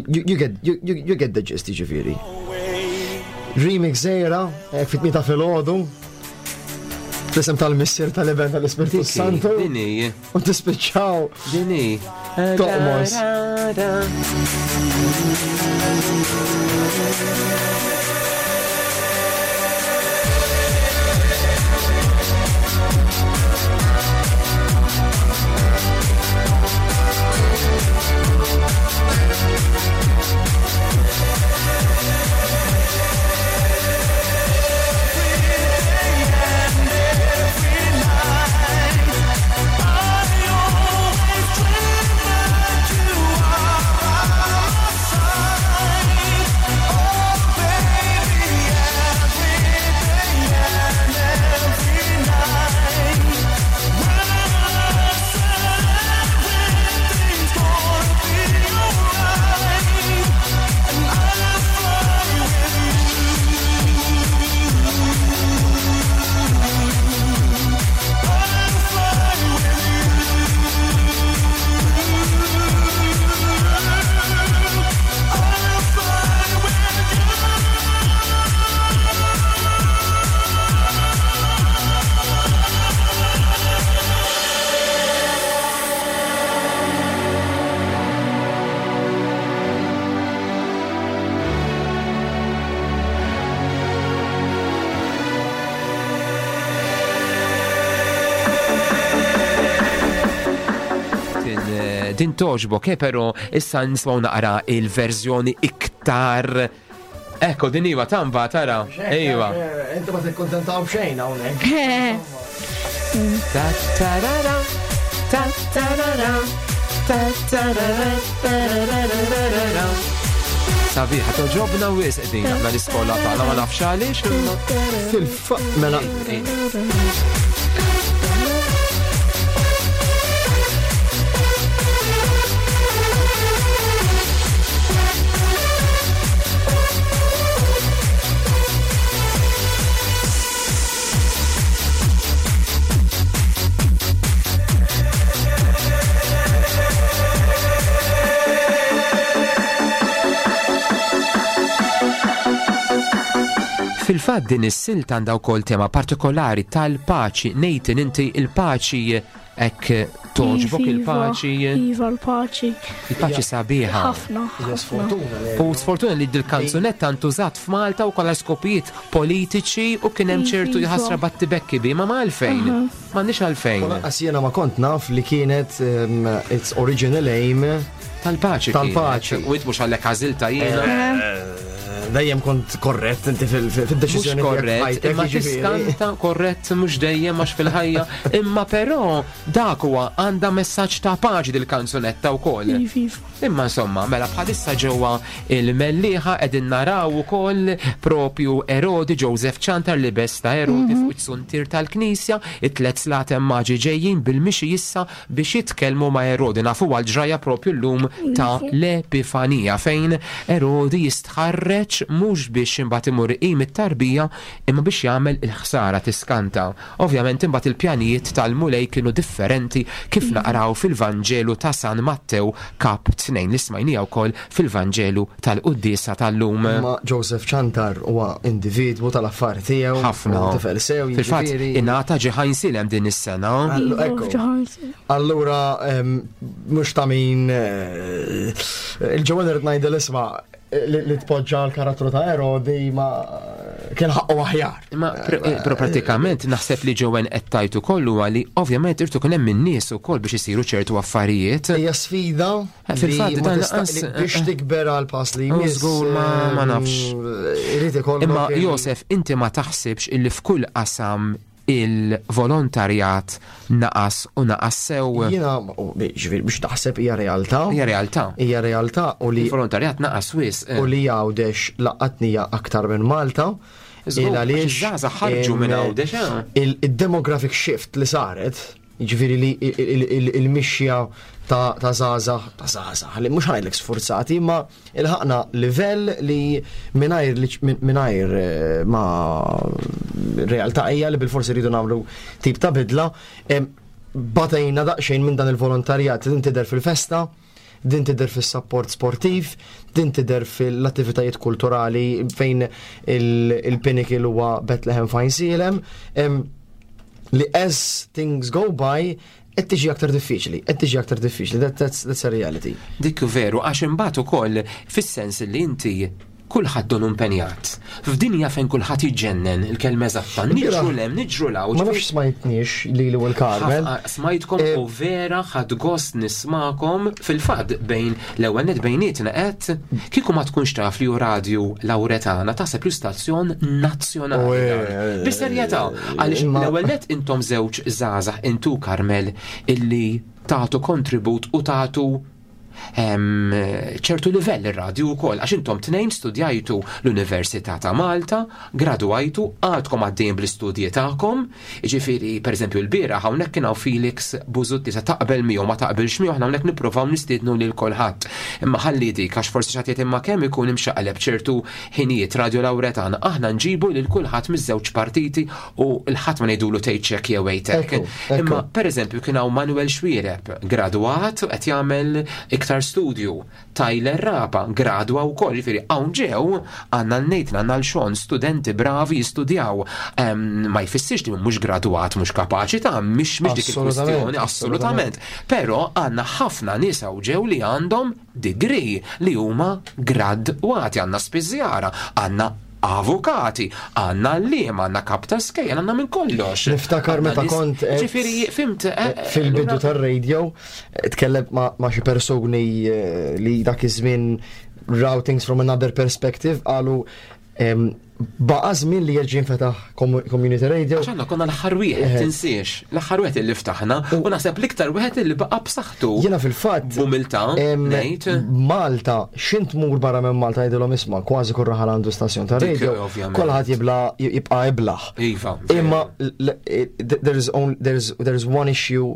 you get, you, you get the gist ġifieri. Remix zejra, eh, fit-tmieta filgħodu. Fl-isem tal-missier tal-iben tal-Ispirtu Santu. Dini. U tispiċċaw. Dini. Toqmos. Din toġbok, eh, pero issa nismaw naqra il-verżjoni iktar Ekko, din iva tamba, tara. Iva. Eh, inti ma tikkuntentaw xejn hawnhekk. Ta tarara, ta tarara, ta tarara, tararararara. Sabiħa, toġobna wisq din aħna l-iskola tagħna ma nafx għaliex. Fil-fa mela. Fil-fatt din is-silta għandha wkoll tema partikolari tal-paċi. Nathan, inti il-paċi hekk togħġbok Iva, il-paċi? Iva, l-paċi. Il-paċi sabiħa. Ħafna. Hija sfortuna li. U sfortuna li dil-kanzunetta ntużat f'Malta u kollha skopijiet politiċi u kien hemm ċertu Iva. ħasra battibekki bi ma ma għalfejn. M'għandniex għalfejn. U lanqas jiena ma kont naf li kienet its original aim Tal-paċi. Tal-paċi. U int mhux għalhekk għażilta jiena. Dejjem kont korrett inti fil-deċiżjoni Mhux korrett, imma tiskanta korrett mhux dejjem għax fil-ħajja, imma però dak huwa għandha messaġġ ta' paċi dil-kanzunetta wkoll. Iva, iva. Imma insomma, mela bħalissa ġewwa il-Mellieħa qegħdin naraw ukoll propju Erodi Joseph Ciantar libes ta' Erodi fuq it-suntier tal-Knisja, it-tliet slaten maġi ġejjin bil-mixi issa biex jitkellmu ma' Erodi. Nafuha l-ġrajja propju llum ta' l-Epifanija fejn Erodi jistħarreġ mhux biex imbagħad imur iqim it-tarbija imma biex jagħmel il-ħsara tiskanta. Ovvjament imbagħad il-pjanijiet tal-Mulej kienu differenti kif naqraw fil-Vanġelu ta' San Mattew kap 2 li smajnija wkoll fil-Vanġelu tal-Quddiesa tal-lum. Ma Joseph Ciantar huwa individwu tal-affari tiegħu. Ħafna. u Tifel sew, Fil-fatt jiġifieri. ingħata ġi Ħajnsielem din is-sena. Allu, Iva, ekku. ġoħansi. Allura, mhux ta' min eh, il-ġewwa irid ngħidil isma' li li tpoġġa l-karattru ta' Erodi ma kien ħaqqu aħjar. Imma però pratikament naħseb li ġewen qed tajtu kollu għali ovvjament irtu kien hemm in-nies ukoll biex isiru ċertu affarijiet. Hija sfida Eh, fil-fatt, li ma dan tista' lanqas- li biex tikber għal pass li Oh, jmiss. żgur, ma nafx. Irid ikollok Imma il- Josef, inti ma taħsibx illi f'kull qasam il-volontarjat naqas u naqas sew. Jiena, u, ġifieri biex taħseb hija realtà. Hija realtà. Hija realtà u li Il-volontarjat naqas wis. u li Għawdex laqatnija aktar minn Malta. Żgur, Il għaliex, għax iż-żgħażagħ ħarġu minn Għawdex, eh. Il-demographic shift li saret, jiġifieri li il-mixja ta' żgħażagħ, ta' żgħażagħ, li mhux ħajlek sforzati, imma ilħaqna livell li mingħajr li- mingħajr eh, ma realtà hija li bil-forsi rridu nagħmlu tip ta' bidla, em, batejna daqsxejn minn dan il-volontarjat din tidher fil-festa, din tidher fis-sapport sportiv, din tidher fil-attivitajiet kulturali fejn il-pinnacle huwa Bethlehem Fajn Em, li as things go by, qed tiġi aktar diffiċli, qed tiġi aktar diffiċli, that, that's, that's a reality. Dik veru, għax imbagħad ukoll fis-sens li inti kulħadd donu impenjat. F'dinja fejn kulħadd jiġġennen il-kelma eżatta, niġru lem, niġru law. Ma nafx smajtniex li li u l-Carmel. Smajtkom Eh, u vera ħad gost nismakom fil-fatt bejn l-ewwel net bejnietna qed kieku ma tkunx taf li hu radju Lawretana taħseb li stazzjon nazzjonali. U, eh, dan. Bis-serjetà, għaliex imma- l-ewwel net intom żewġ żgħażagħ intu Carmel illi tagħtu kontribut u tagħtu ċertu livell ir-radju wkoll għax intom tnejn studjajtu l-Università ta' Malta, gradwajtu, għadkom għaddejjin bl-istudji tagħkom, jiġifieri pereżempju l-bieraħ hawnhekk kien hawn Felix Buzutti sa taqbel miegħu ma taqbilx miegħu aħna hawnhekk nippruvaw nistiednu lil kulħadd. Imma ħalli dik għax forsi xi ħadd imma kemm ikun imxaqleb ċertu ħinijiet Radio Lawretana aħna nġibu lil kulħadd miż-żewġ partiti u l-ħadd ma ngħidulu tgħid hekk jew hekk. Ekku, ekku. Imma per eżempju kien hawn Manuel Xwireb, gradwat u qed jagħmel iktar studju. Tyler Rapa, gradwa wkoll, jiġifieri hawn ġew għandna l-Nathan, għandna l-Sean, studenti bravi jistudjaw. Ma jfissirx li mhux gradwat, mhux kapaċi ta' mhix mhix dik Assolutament, il-kwistjoni, assolutament. Però għandna ħafna nies hawn ġew li għandhom degree li huma gradwati, għandna spiżjara, għandna avukati, għandna għalliema, għandna kap ta' skejjel, għandna minn kollox. Niftakar meta kont Ġifieri, fimt. Eh, eh, fil-bidu tar-radio, tkellemt ma' xi persuni eh, li dak iż-żmien raw things from another perspective qalu baqa żmien li jerġa' jinfetaħ community radio. Għax aħna konna l-aħħar wieħed, eh. tinsiex, l-aħħar wieħed li ftaħna u naħseb l-iktar wieħed li baqa' b'saħħtu. Jiena fil-fatt. B'umiltà, ngħid. Malta, xint mur barra minn Malta jgħidilhom isma' kważi kull raħal għandu stazzjon ta' radio. Kulħadd jibla jibqa' iblaħ. Iva. Imma eh, there's there's there's one issue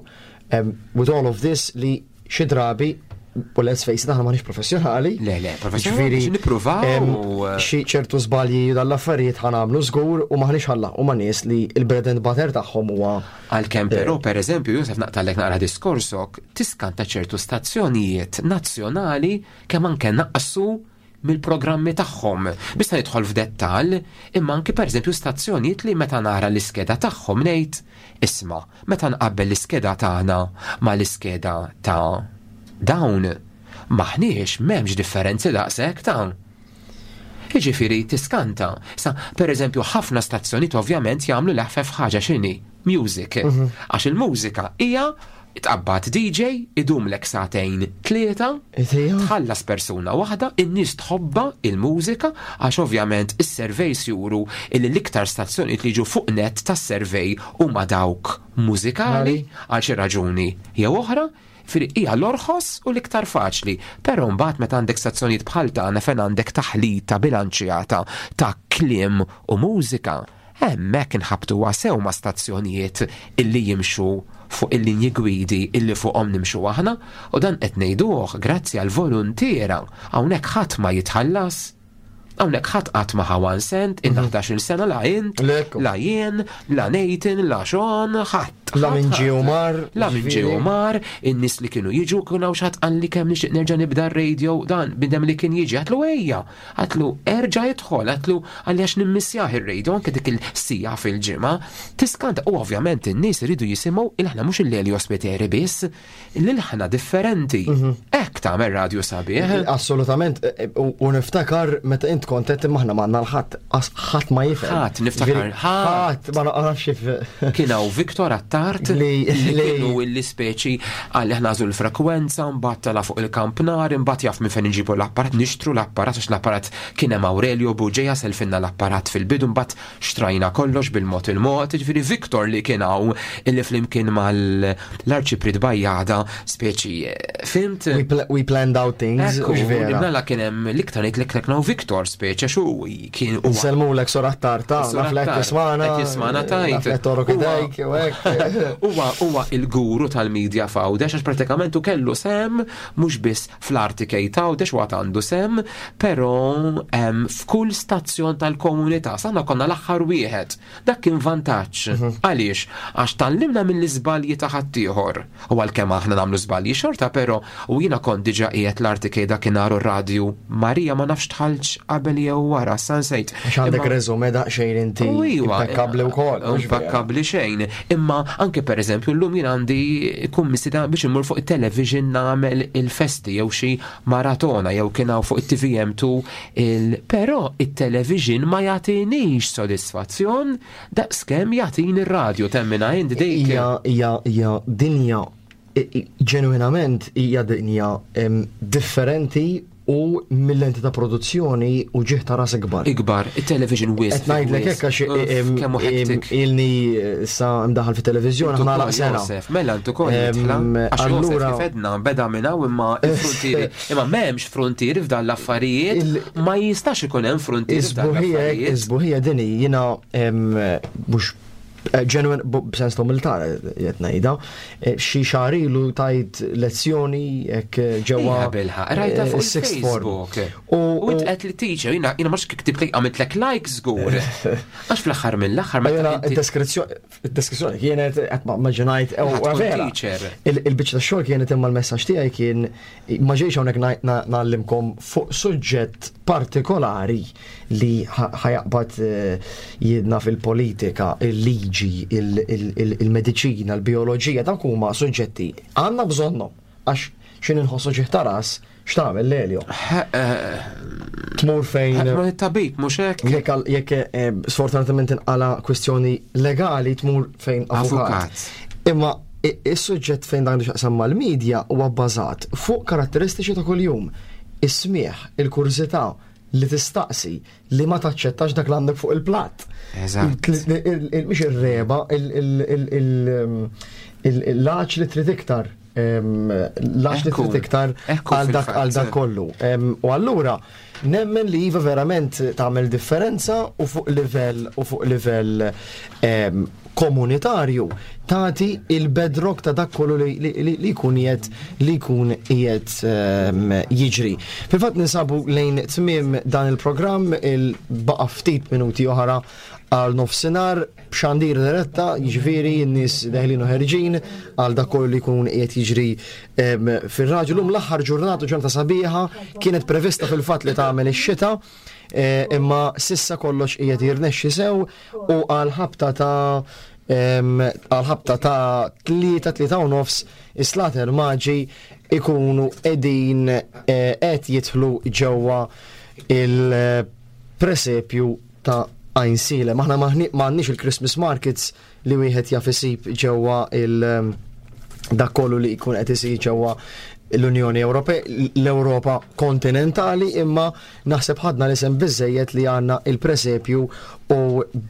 with all of this li xi drabi u let's face it, aħna maħniex professjonali. Le, le, professjonali. Nippruvaw. Eh, xi ċertu żbalji dal-affarijiet ħanamlu żgur u maħniex ħalla u ma nies li il-bread and butter tagħhom huwa. Għalkemm eh. però pereżempju Josef naqtalek naqra diskorsok, tiskanta ċertu stazzjonijiet nazzjonali kemm anke naqsu mill-programmi tagħhom. Biss nidħol f'dettall, imma anki pereżempju stazzjonijiet li meta nara l-iskeda tagħhom ngħid, isma' meta nqabbel l-iskeda tagħna mal-iskeda ta' dawn, m'aħniex m'hemmx differenzi daqshekk ta'. Jiġifieri tiskanta. Sa, pereżempju ħafna stazzjonijiet ovvjament jagħmlu l-eħfef ħaġa x'inhi? Music. Mhm. Għax il-mużika hija Tqabbad DJ, idumlek sagħtejn tlieta, tħallas persuna waħda, in-nies tħobbha il-mużika għax ovvjament is-surveys juru illi l-iktar stazzjonijiet li jiġu fuq nett tas-survey huma dawk mużikali għal xi raġuni jew oħra, Jiġifieri hija l-orħos u l-iktar faċli. Però mbagħad meta għandek stazzjonijiet bħal tagħna fejn għandek taħlita bilanċjata ta' kliem u mużika, Hemmhekk inħabbtuha sew ma' stazzjonijiet illi jimxu fuq il-linji gwidi illi fuqhom nimxu aħna u dan qed ngħiduh grazzi għall-voluntiera. Hawnhekk ħadd ma jitħallas. Hawnhekk ħadd qatt ma ħa one cent, ilna 11-il sena la int, la jien, la Nathan, la Sean, ħadd. La minn ġie u mar. La minn ġie u mar, in-nies li kienu jiġu kien hawn xi ħadd qalli kemm nixtieq nerġa' nibda r-radio dan bniedem li kien jiġi għedtlu ejja. Għatlu, erġa' idħol, għatlu, għalli għax nimmissjah ir-radio anke dik il-sija fil-ġimgħa. Tiskanta, u ovvjament in-nies iridu jisimgħu il-ħna mhux il-Lelio Spiteri biss, l-ilħna differenti. Mhm. Hekk tagħmel radio sabiħ. Assolutament, e, e, u niftakar meta int kont qed imma aħna m'għandna l-ħadd, ħadd ma jifhem. Ħadd niftakar, ħadd ma naqrax kif. Kien hawn Viktor Attard li kienu illi speċi għalli aħna għażlu l-frekwenza, mbagħad tela' fuq il-kampnar, imbagħad jaf minn fejn inġibu l-apparat, nixtru l-apparat għax l-apparat kien hemm Aurelio Bugeja selfinna l-apparat fil-bidu mbagħad xtrajna kollox bil-mod il-mod, jiġifieri Victor li kien hawn illi flimkien mal-Arċipriet Bajjada speċi fimt. We planned out things, hux vera. Mela kien hemm l-iktar ngħid l-iktar kien hawn Victor speċi għax hu kien huwa. Nsellmulek Sor Attar ta' naf li qed tismagħna. Qed jismagħna tajt. Naf li qed torok idejk u hekk. Huwa huwa il-guru tal-media f'Għawdex għax pratikament hu kellu sehem mhux biss fl-RTK t'Għawdex u għad għandu sehem, però f'kull stazzjon tal-komunità. Sa aħna konna l-aħħar wieħed. Dak kien vantaġġ. Mhm. Għaliex? Għax tgħallimna mill-iżbalji ta' ħaddieħor. U għalkemm aħna nagħmlu żbalji xorta, però u jiena kont diġà qiegħed l-RTK dakinhar u r-radju Marija ma nafx dħaltx qabel jew wara, sa nsejt. Għax għandek resume daqsxejn inti impekkabbli wkoll. Impekkabbli xejn. Imma anke pereżempju llum jien għandi kummissita biex immur fuq it-television nagħmel il-festi jew xi maratona jew kien hawn fuq it-TVM2 il però it-television ma jagħtinix sodisfazzjon daqskemm jagħtini r-radju temmina int dik. Hija hija hija dinja ġenwinament hija dinja differenti u mill-lenti ta' produzzjoni u ġieħ ta' ras ikbar. Ikbar, it-television wisq. Qed ngħidlek hekk għax ilni sa mdaħal fit-televiżjoni ħa nagħlaq sena. Josef, mela intu kol Allura kif edna beda minn hawn imma il-fruntieri. Imma m'hemmx fruntieri f'dan l-affarijiet, ma jistax ikun hemm fruntieri f'dan l-affarijiet. Isbuħija dini jiena mhux eh, ġenwin b'sens ta' umiltà qed ngħidha, eh, xi xahar ilu tajt lezzjoni hekk eh, ġewwa Bilħa, rajta fuq Facebook. U int qed li teacher, jiena jiena mhux ktibt li għamiltlek like żgur. Għax fl-aħħar mill-aħħar meta id-deskrizzjoni kienet qed ma maġinajt vera. Il-biċċa tax-xogħol kienet imma l-messaġġ tiegħi kien ma ġejx hawnhekk ngħallimkom fuq suġġett partikolari li ħajaqbad eh, jidna fil-politika, il-liġi, il-mediċina, il-bioloġija, dawk huma suġġetti għandna bżonnhom għax xi inħossu ġieħ ta' ras. X'tagħmel Lelio? Tmur fejn. Tmur it-tabib, mhux hekk? Jekk jekk eh, sfortunatament inqala kwistjoni legali tmur fejn avukat. Imma is-suġġett fejn dan xaqsam mal-medja huwa bbażat fuq karatteristiċi ta' kuljum. Is-smieħ, il-kurżità, li tistaqsi, li ma taċċettax dak l għandek fuq il-platt. Eżatt. Mhix ir-reba, l-għax li trid iktar. L-għax li trid iktar għal dak għal dak kollu. U allura nemmen li iva verament tagħmel differenza u fuq livell u fuq livell komunitarju tagħti il-bedrock ta' dak kollu li jkun qiegħed li jkun qiegħed ehm, jiġri. Fil-fatt ninsabu lejn tmiem dan il-programm il-baqa' ftit minuti oħra għal nofsinhar b'xandir diretta, jiġifieri n-nies deħlin u ħerġin għal dak kollu li jkun qiegħed jiġri ehm, fir-raġel. Lum l-aħħar ġurnata ġurnata sabiħa kienet prevista fil-fatt li tagħmel ix-xita, eh, imma sissa kollox qiegħed jirnexxi sew u għal ħabta ta' għal ħabta ta' 3-3 u nofs is-Slater Maġi ikunu edin eh, qed jidħlu ġewwa il-presepju ta' Għajnsielem. Aħna m'għandniex il-Christmas markets li wieħed jaf isib ġewwa il- dak kollu li jkun qed isir ġewwa l-Unjoni Ewropea, l-Ewropa kontinentali, imma naħseb ħadna l-isem biżejjed li għandna il-presepju u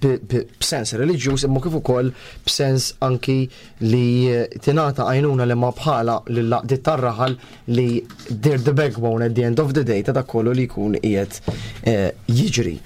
b'sens reliġjuż imma kif ukoll b'sens anki li tingħata għajnuna li ma bħala lill-għaqdiet tar-raħal li they're the backbone at the end of the day ta' dak kollu li jkun qiegħed eh, jiġri.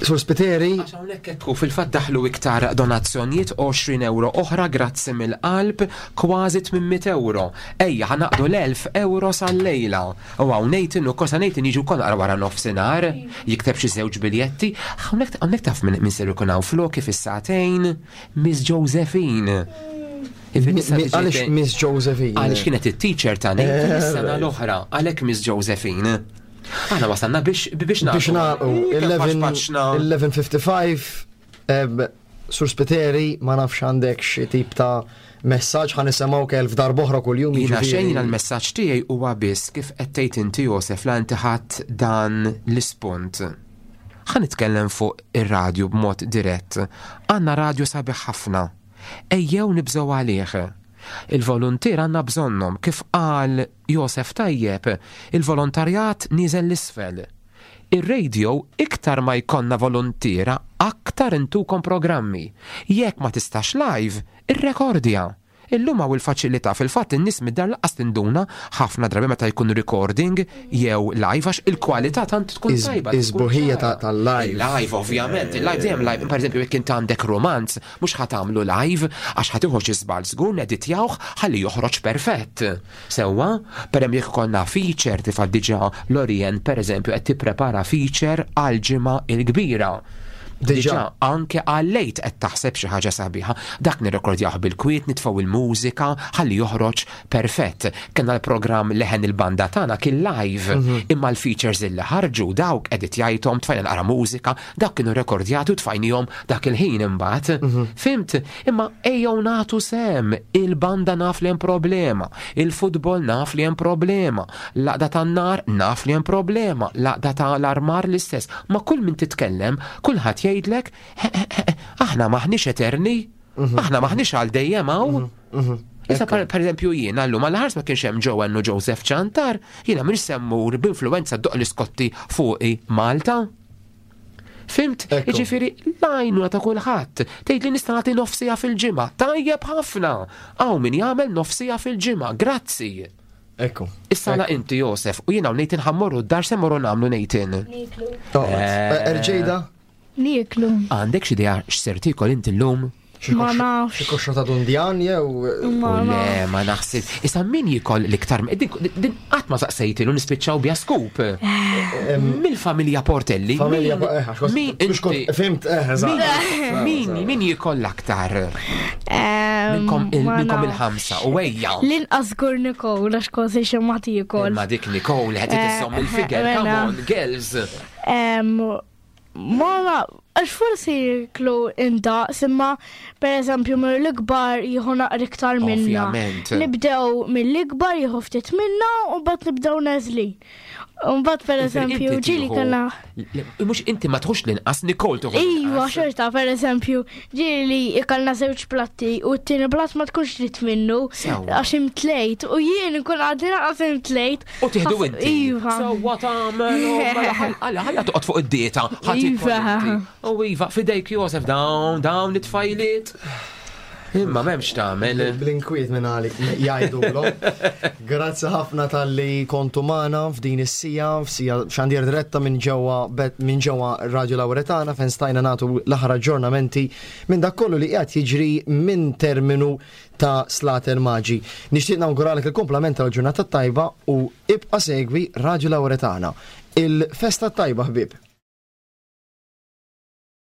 Sur Spiteri. Għax hawnhekk ekku fil-fatt daħlu iktar donazzjonijiet 20 euro oħra grazzi mill-qalb kważi 800 euro. Ejja ħa naqdu l-1000 euro sal-lejla. U hawn Nathan u kosa Nathan jiġu wkoll naqra wara nofsinhar, jikteb xi żewġ biljetti. Hawnhekk hawnhekk taf min min ser ikun hawn floki fis-sagħtejn, Miss Josephine. Għaliex Miss Josephine? Għaliex kienet it-teacher ta' Nathan eh, is-sena l-oħra, għalhekk Miss Josephine. Aħna wasalna biex biex nagħlqu. Biex nagħlqu 11:55 Sur Spiteri ma nafx għandek xi tip ta' messaġġ ħa nisimgħu kelf darb'oħra kuljum. Jiena xejn jiena l-messaġġ tiegħi huwa biss kif qed tgħid inti Josef la inti ħadd dan l-ispunt. Ħa nitkellem fuq ir-radju b'mod dirett. Għandna radju sabiħ ħafna. Ejjew nibżgħu għalih. Il-voluntier għandna bżonnhom kif qal Josef tajjeb, il-volontarjat nieżel l-isfel. Ir-radio iktar ma jkollna voluntiera aktar intukom programmi. Jekk ma tistax live, irrekordja. Illum hawn il-faċilità, fil-fatt in-nies mid-dar lanqas tinduna ħafna drabi meta jkun recording jew live għax il-kwalità tant tkun tajba. Is-sbuħija tal-live. Il-live ovvjament, il-live dejjem live, pereżempju jekk int għandek romanz, mhux ħa tagħmlu live għax ħa tieħu xi żball żgur neditjawh ħalli joħroġ perfett. Sewwa, pereżempju jekk ikollna feature tifha diġà Lorien pereżempju qed tipprepara feature għall-ġimgħa l-kbira. Diġà anke għal-lejt qed taħseb xi ħaġa sabiħa. Dak nirrekordjah bil-kwiet, nitfgħu il-mużika ħalli joħroġ perfett. Kellna l-programm Leħen il-Banda tagħna kien live, mhm. imma l-features illi ħarġu dawk editjajthom, tfajna naqra mużika, dawk kienu rekordjati u tfajnihom dak il-ħin imbagħad. Mhm. Fimt? Imma ejjew nagħtu sem, il-banda naf li hemm problema, il-futbol naf li hemm problema, l-għaqda tan-nar naf li hemm problema, l-għaqda tal-armar l-istess. Ma kull min titkellem, kulħadd jgħidlek, aħna maħniex eterni, mhm. aħna maħniex għal dejjem hawn. Mhm, mhm. Issa per eżempju jiena llum għal ħars ma kienx hemm Joanne u Joseph Ċantar, jiena minn semmur b'influenza doq l-iskotti fuqi Malta. Fimt? Jiġifieri l-għajnuna ta' kulħadd. Tgħid li nista' nagħti nofsija fil-ġimgħa. Tajjeb ħafna. Hawn min jagħmel nofsija fil-ġimgħa. Grazzi. Ekku. Issa la inti Josef u jiena u Nathan ħammorru d-dar se morru nagħmlu Nathan. Niklu. Eh, Erġejda? Niklu. Għandek xi idea x'ser tiekol inti llum? Ma nafx. Xi koxxa ta' dundjan jew. Ma Le, ma naħseb. Issa min jikol l-iktar din qatt ma saqsejtilu nispiċċaw bija scoop. Eh, Mill-familja Portelli. Familja eh, min Fimt, eh, eżatt. Min min jikol l-aktar? Minnkom il-ħamsa u ejja. L-inqas żgur Nicole għax kważi xi ma tiekol. Ma dik Nicole qed iżomm il-figer, come on, girls. Ma għax forsi jiklu indaqs imma per eżempju mill-ikbar jieħu naqra iktar minna. Ovvjament. Nibdew mill-ikbar jieħu ftit minna u mbagħad nibdew neżlin. U mbagħad per eżempju ġieli kellna. Mhux inti ma tħux l-inqas, Nicole tieħu. Iva, xorta, per eżempju, ġieli ikalna żewġ platti u t-tieni platt ma tkunx trid minnu għax imtlejt u jien nkun għadni naqas imtlejt. U tieħdu inti. Iva. Sewwa tagħmel, mela ħalla toqgħod fuq id-dieta. Iva. U iva, fidejk Josef dawn, dawn it-tfajliet. Imma m'hemmx tagħmel. Bl-inkwiet minn għalik jgħidulhom. Grazzi ħafna talli kontu magħna f'din is-sija, f'sija xandir diretta minn ġewwa minn ġewwa Radio Lauretana fejn stajna nagħtu l-aħħar aġġornamenti minn dak kollu li qiegħed jiġri minn terminu ta' Slater Maġi. Nixtieq nawguralek il-kumplament tal-ġurnata tajba u ibqa' segwi Radio Lauretana. Il-festa tajba ħbieb.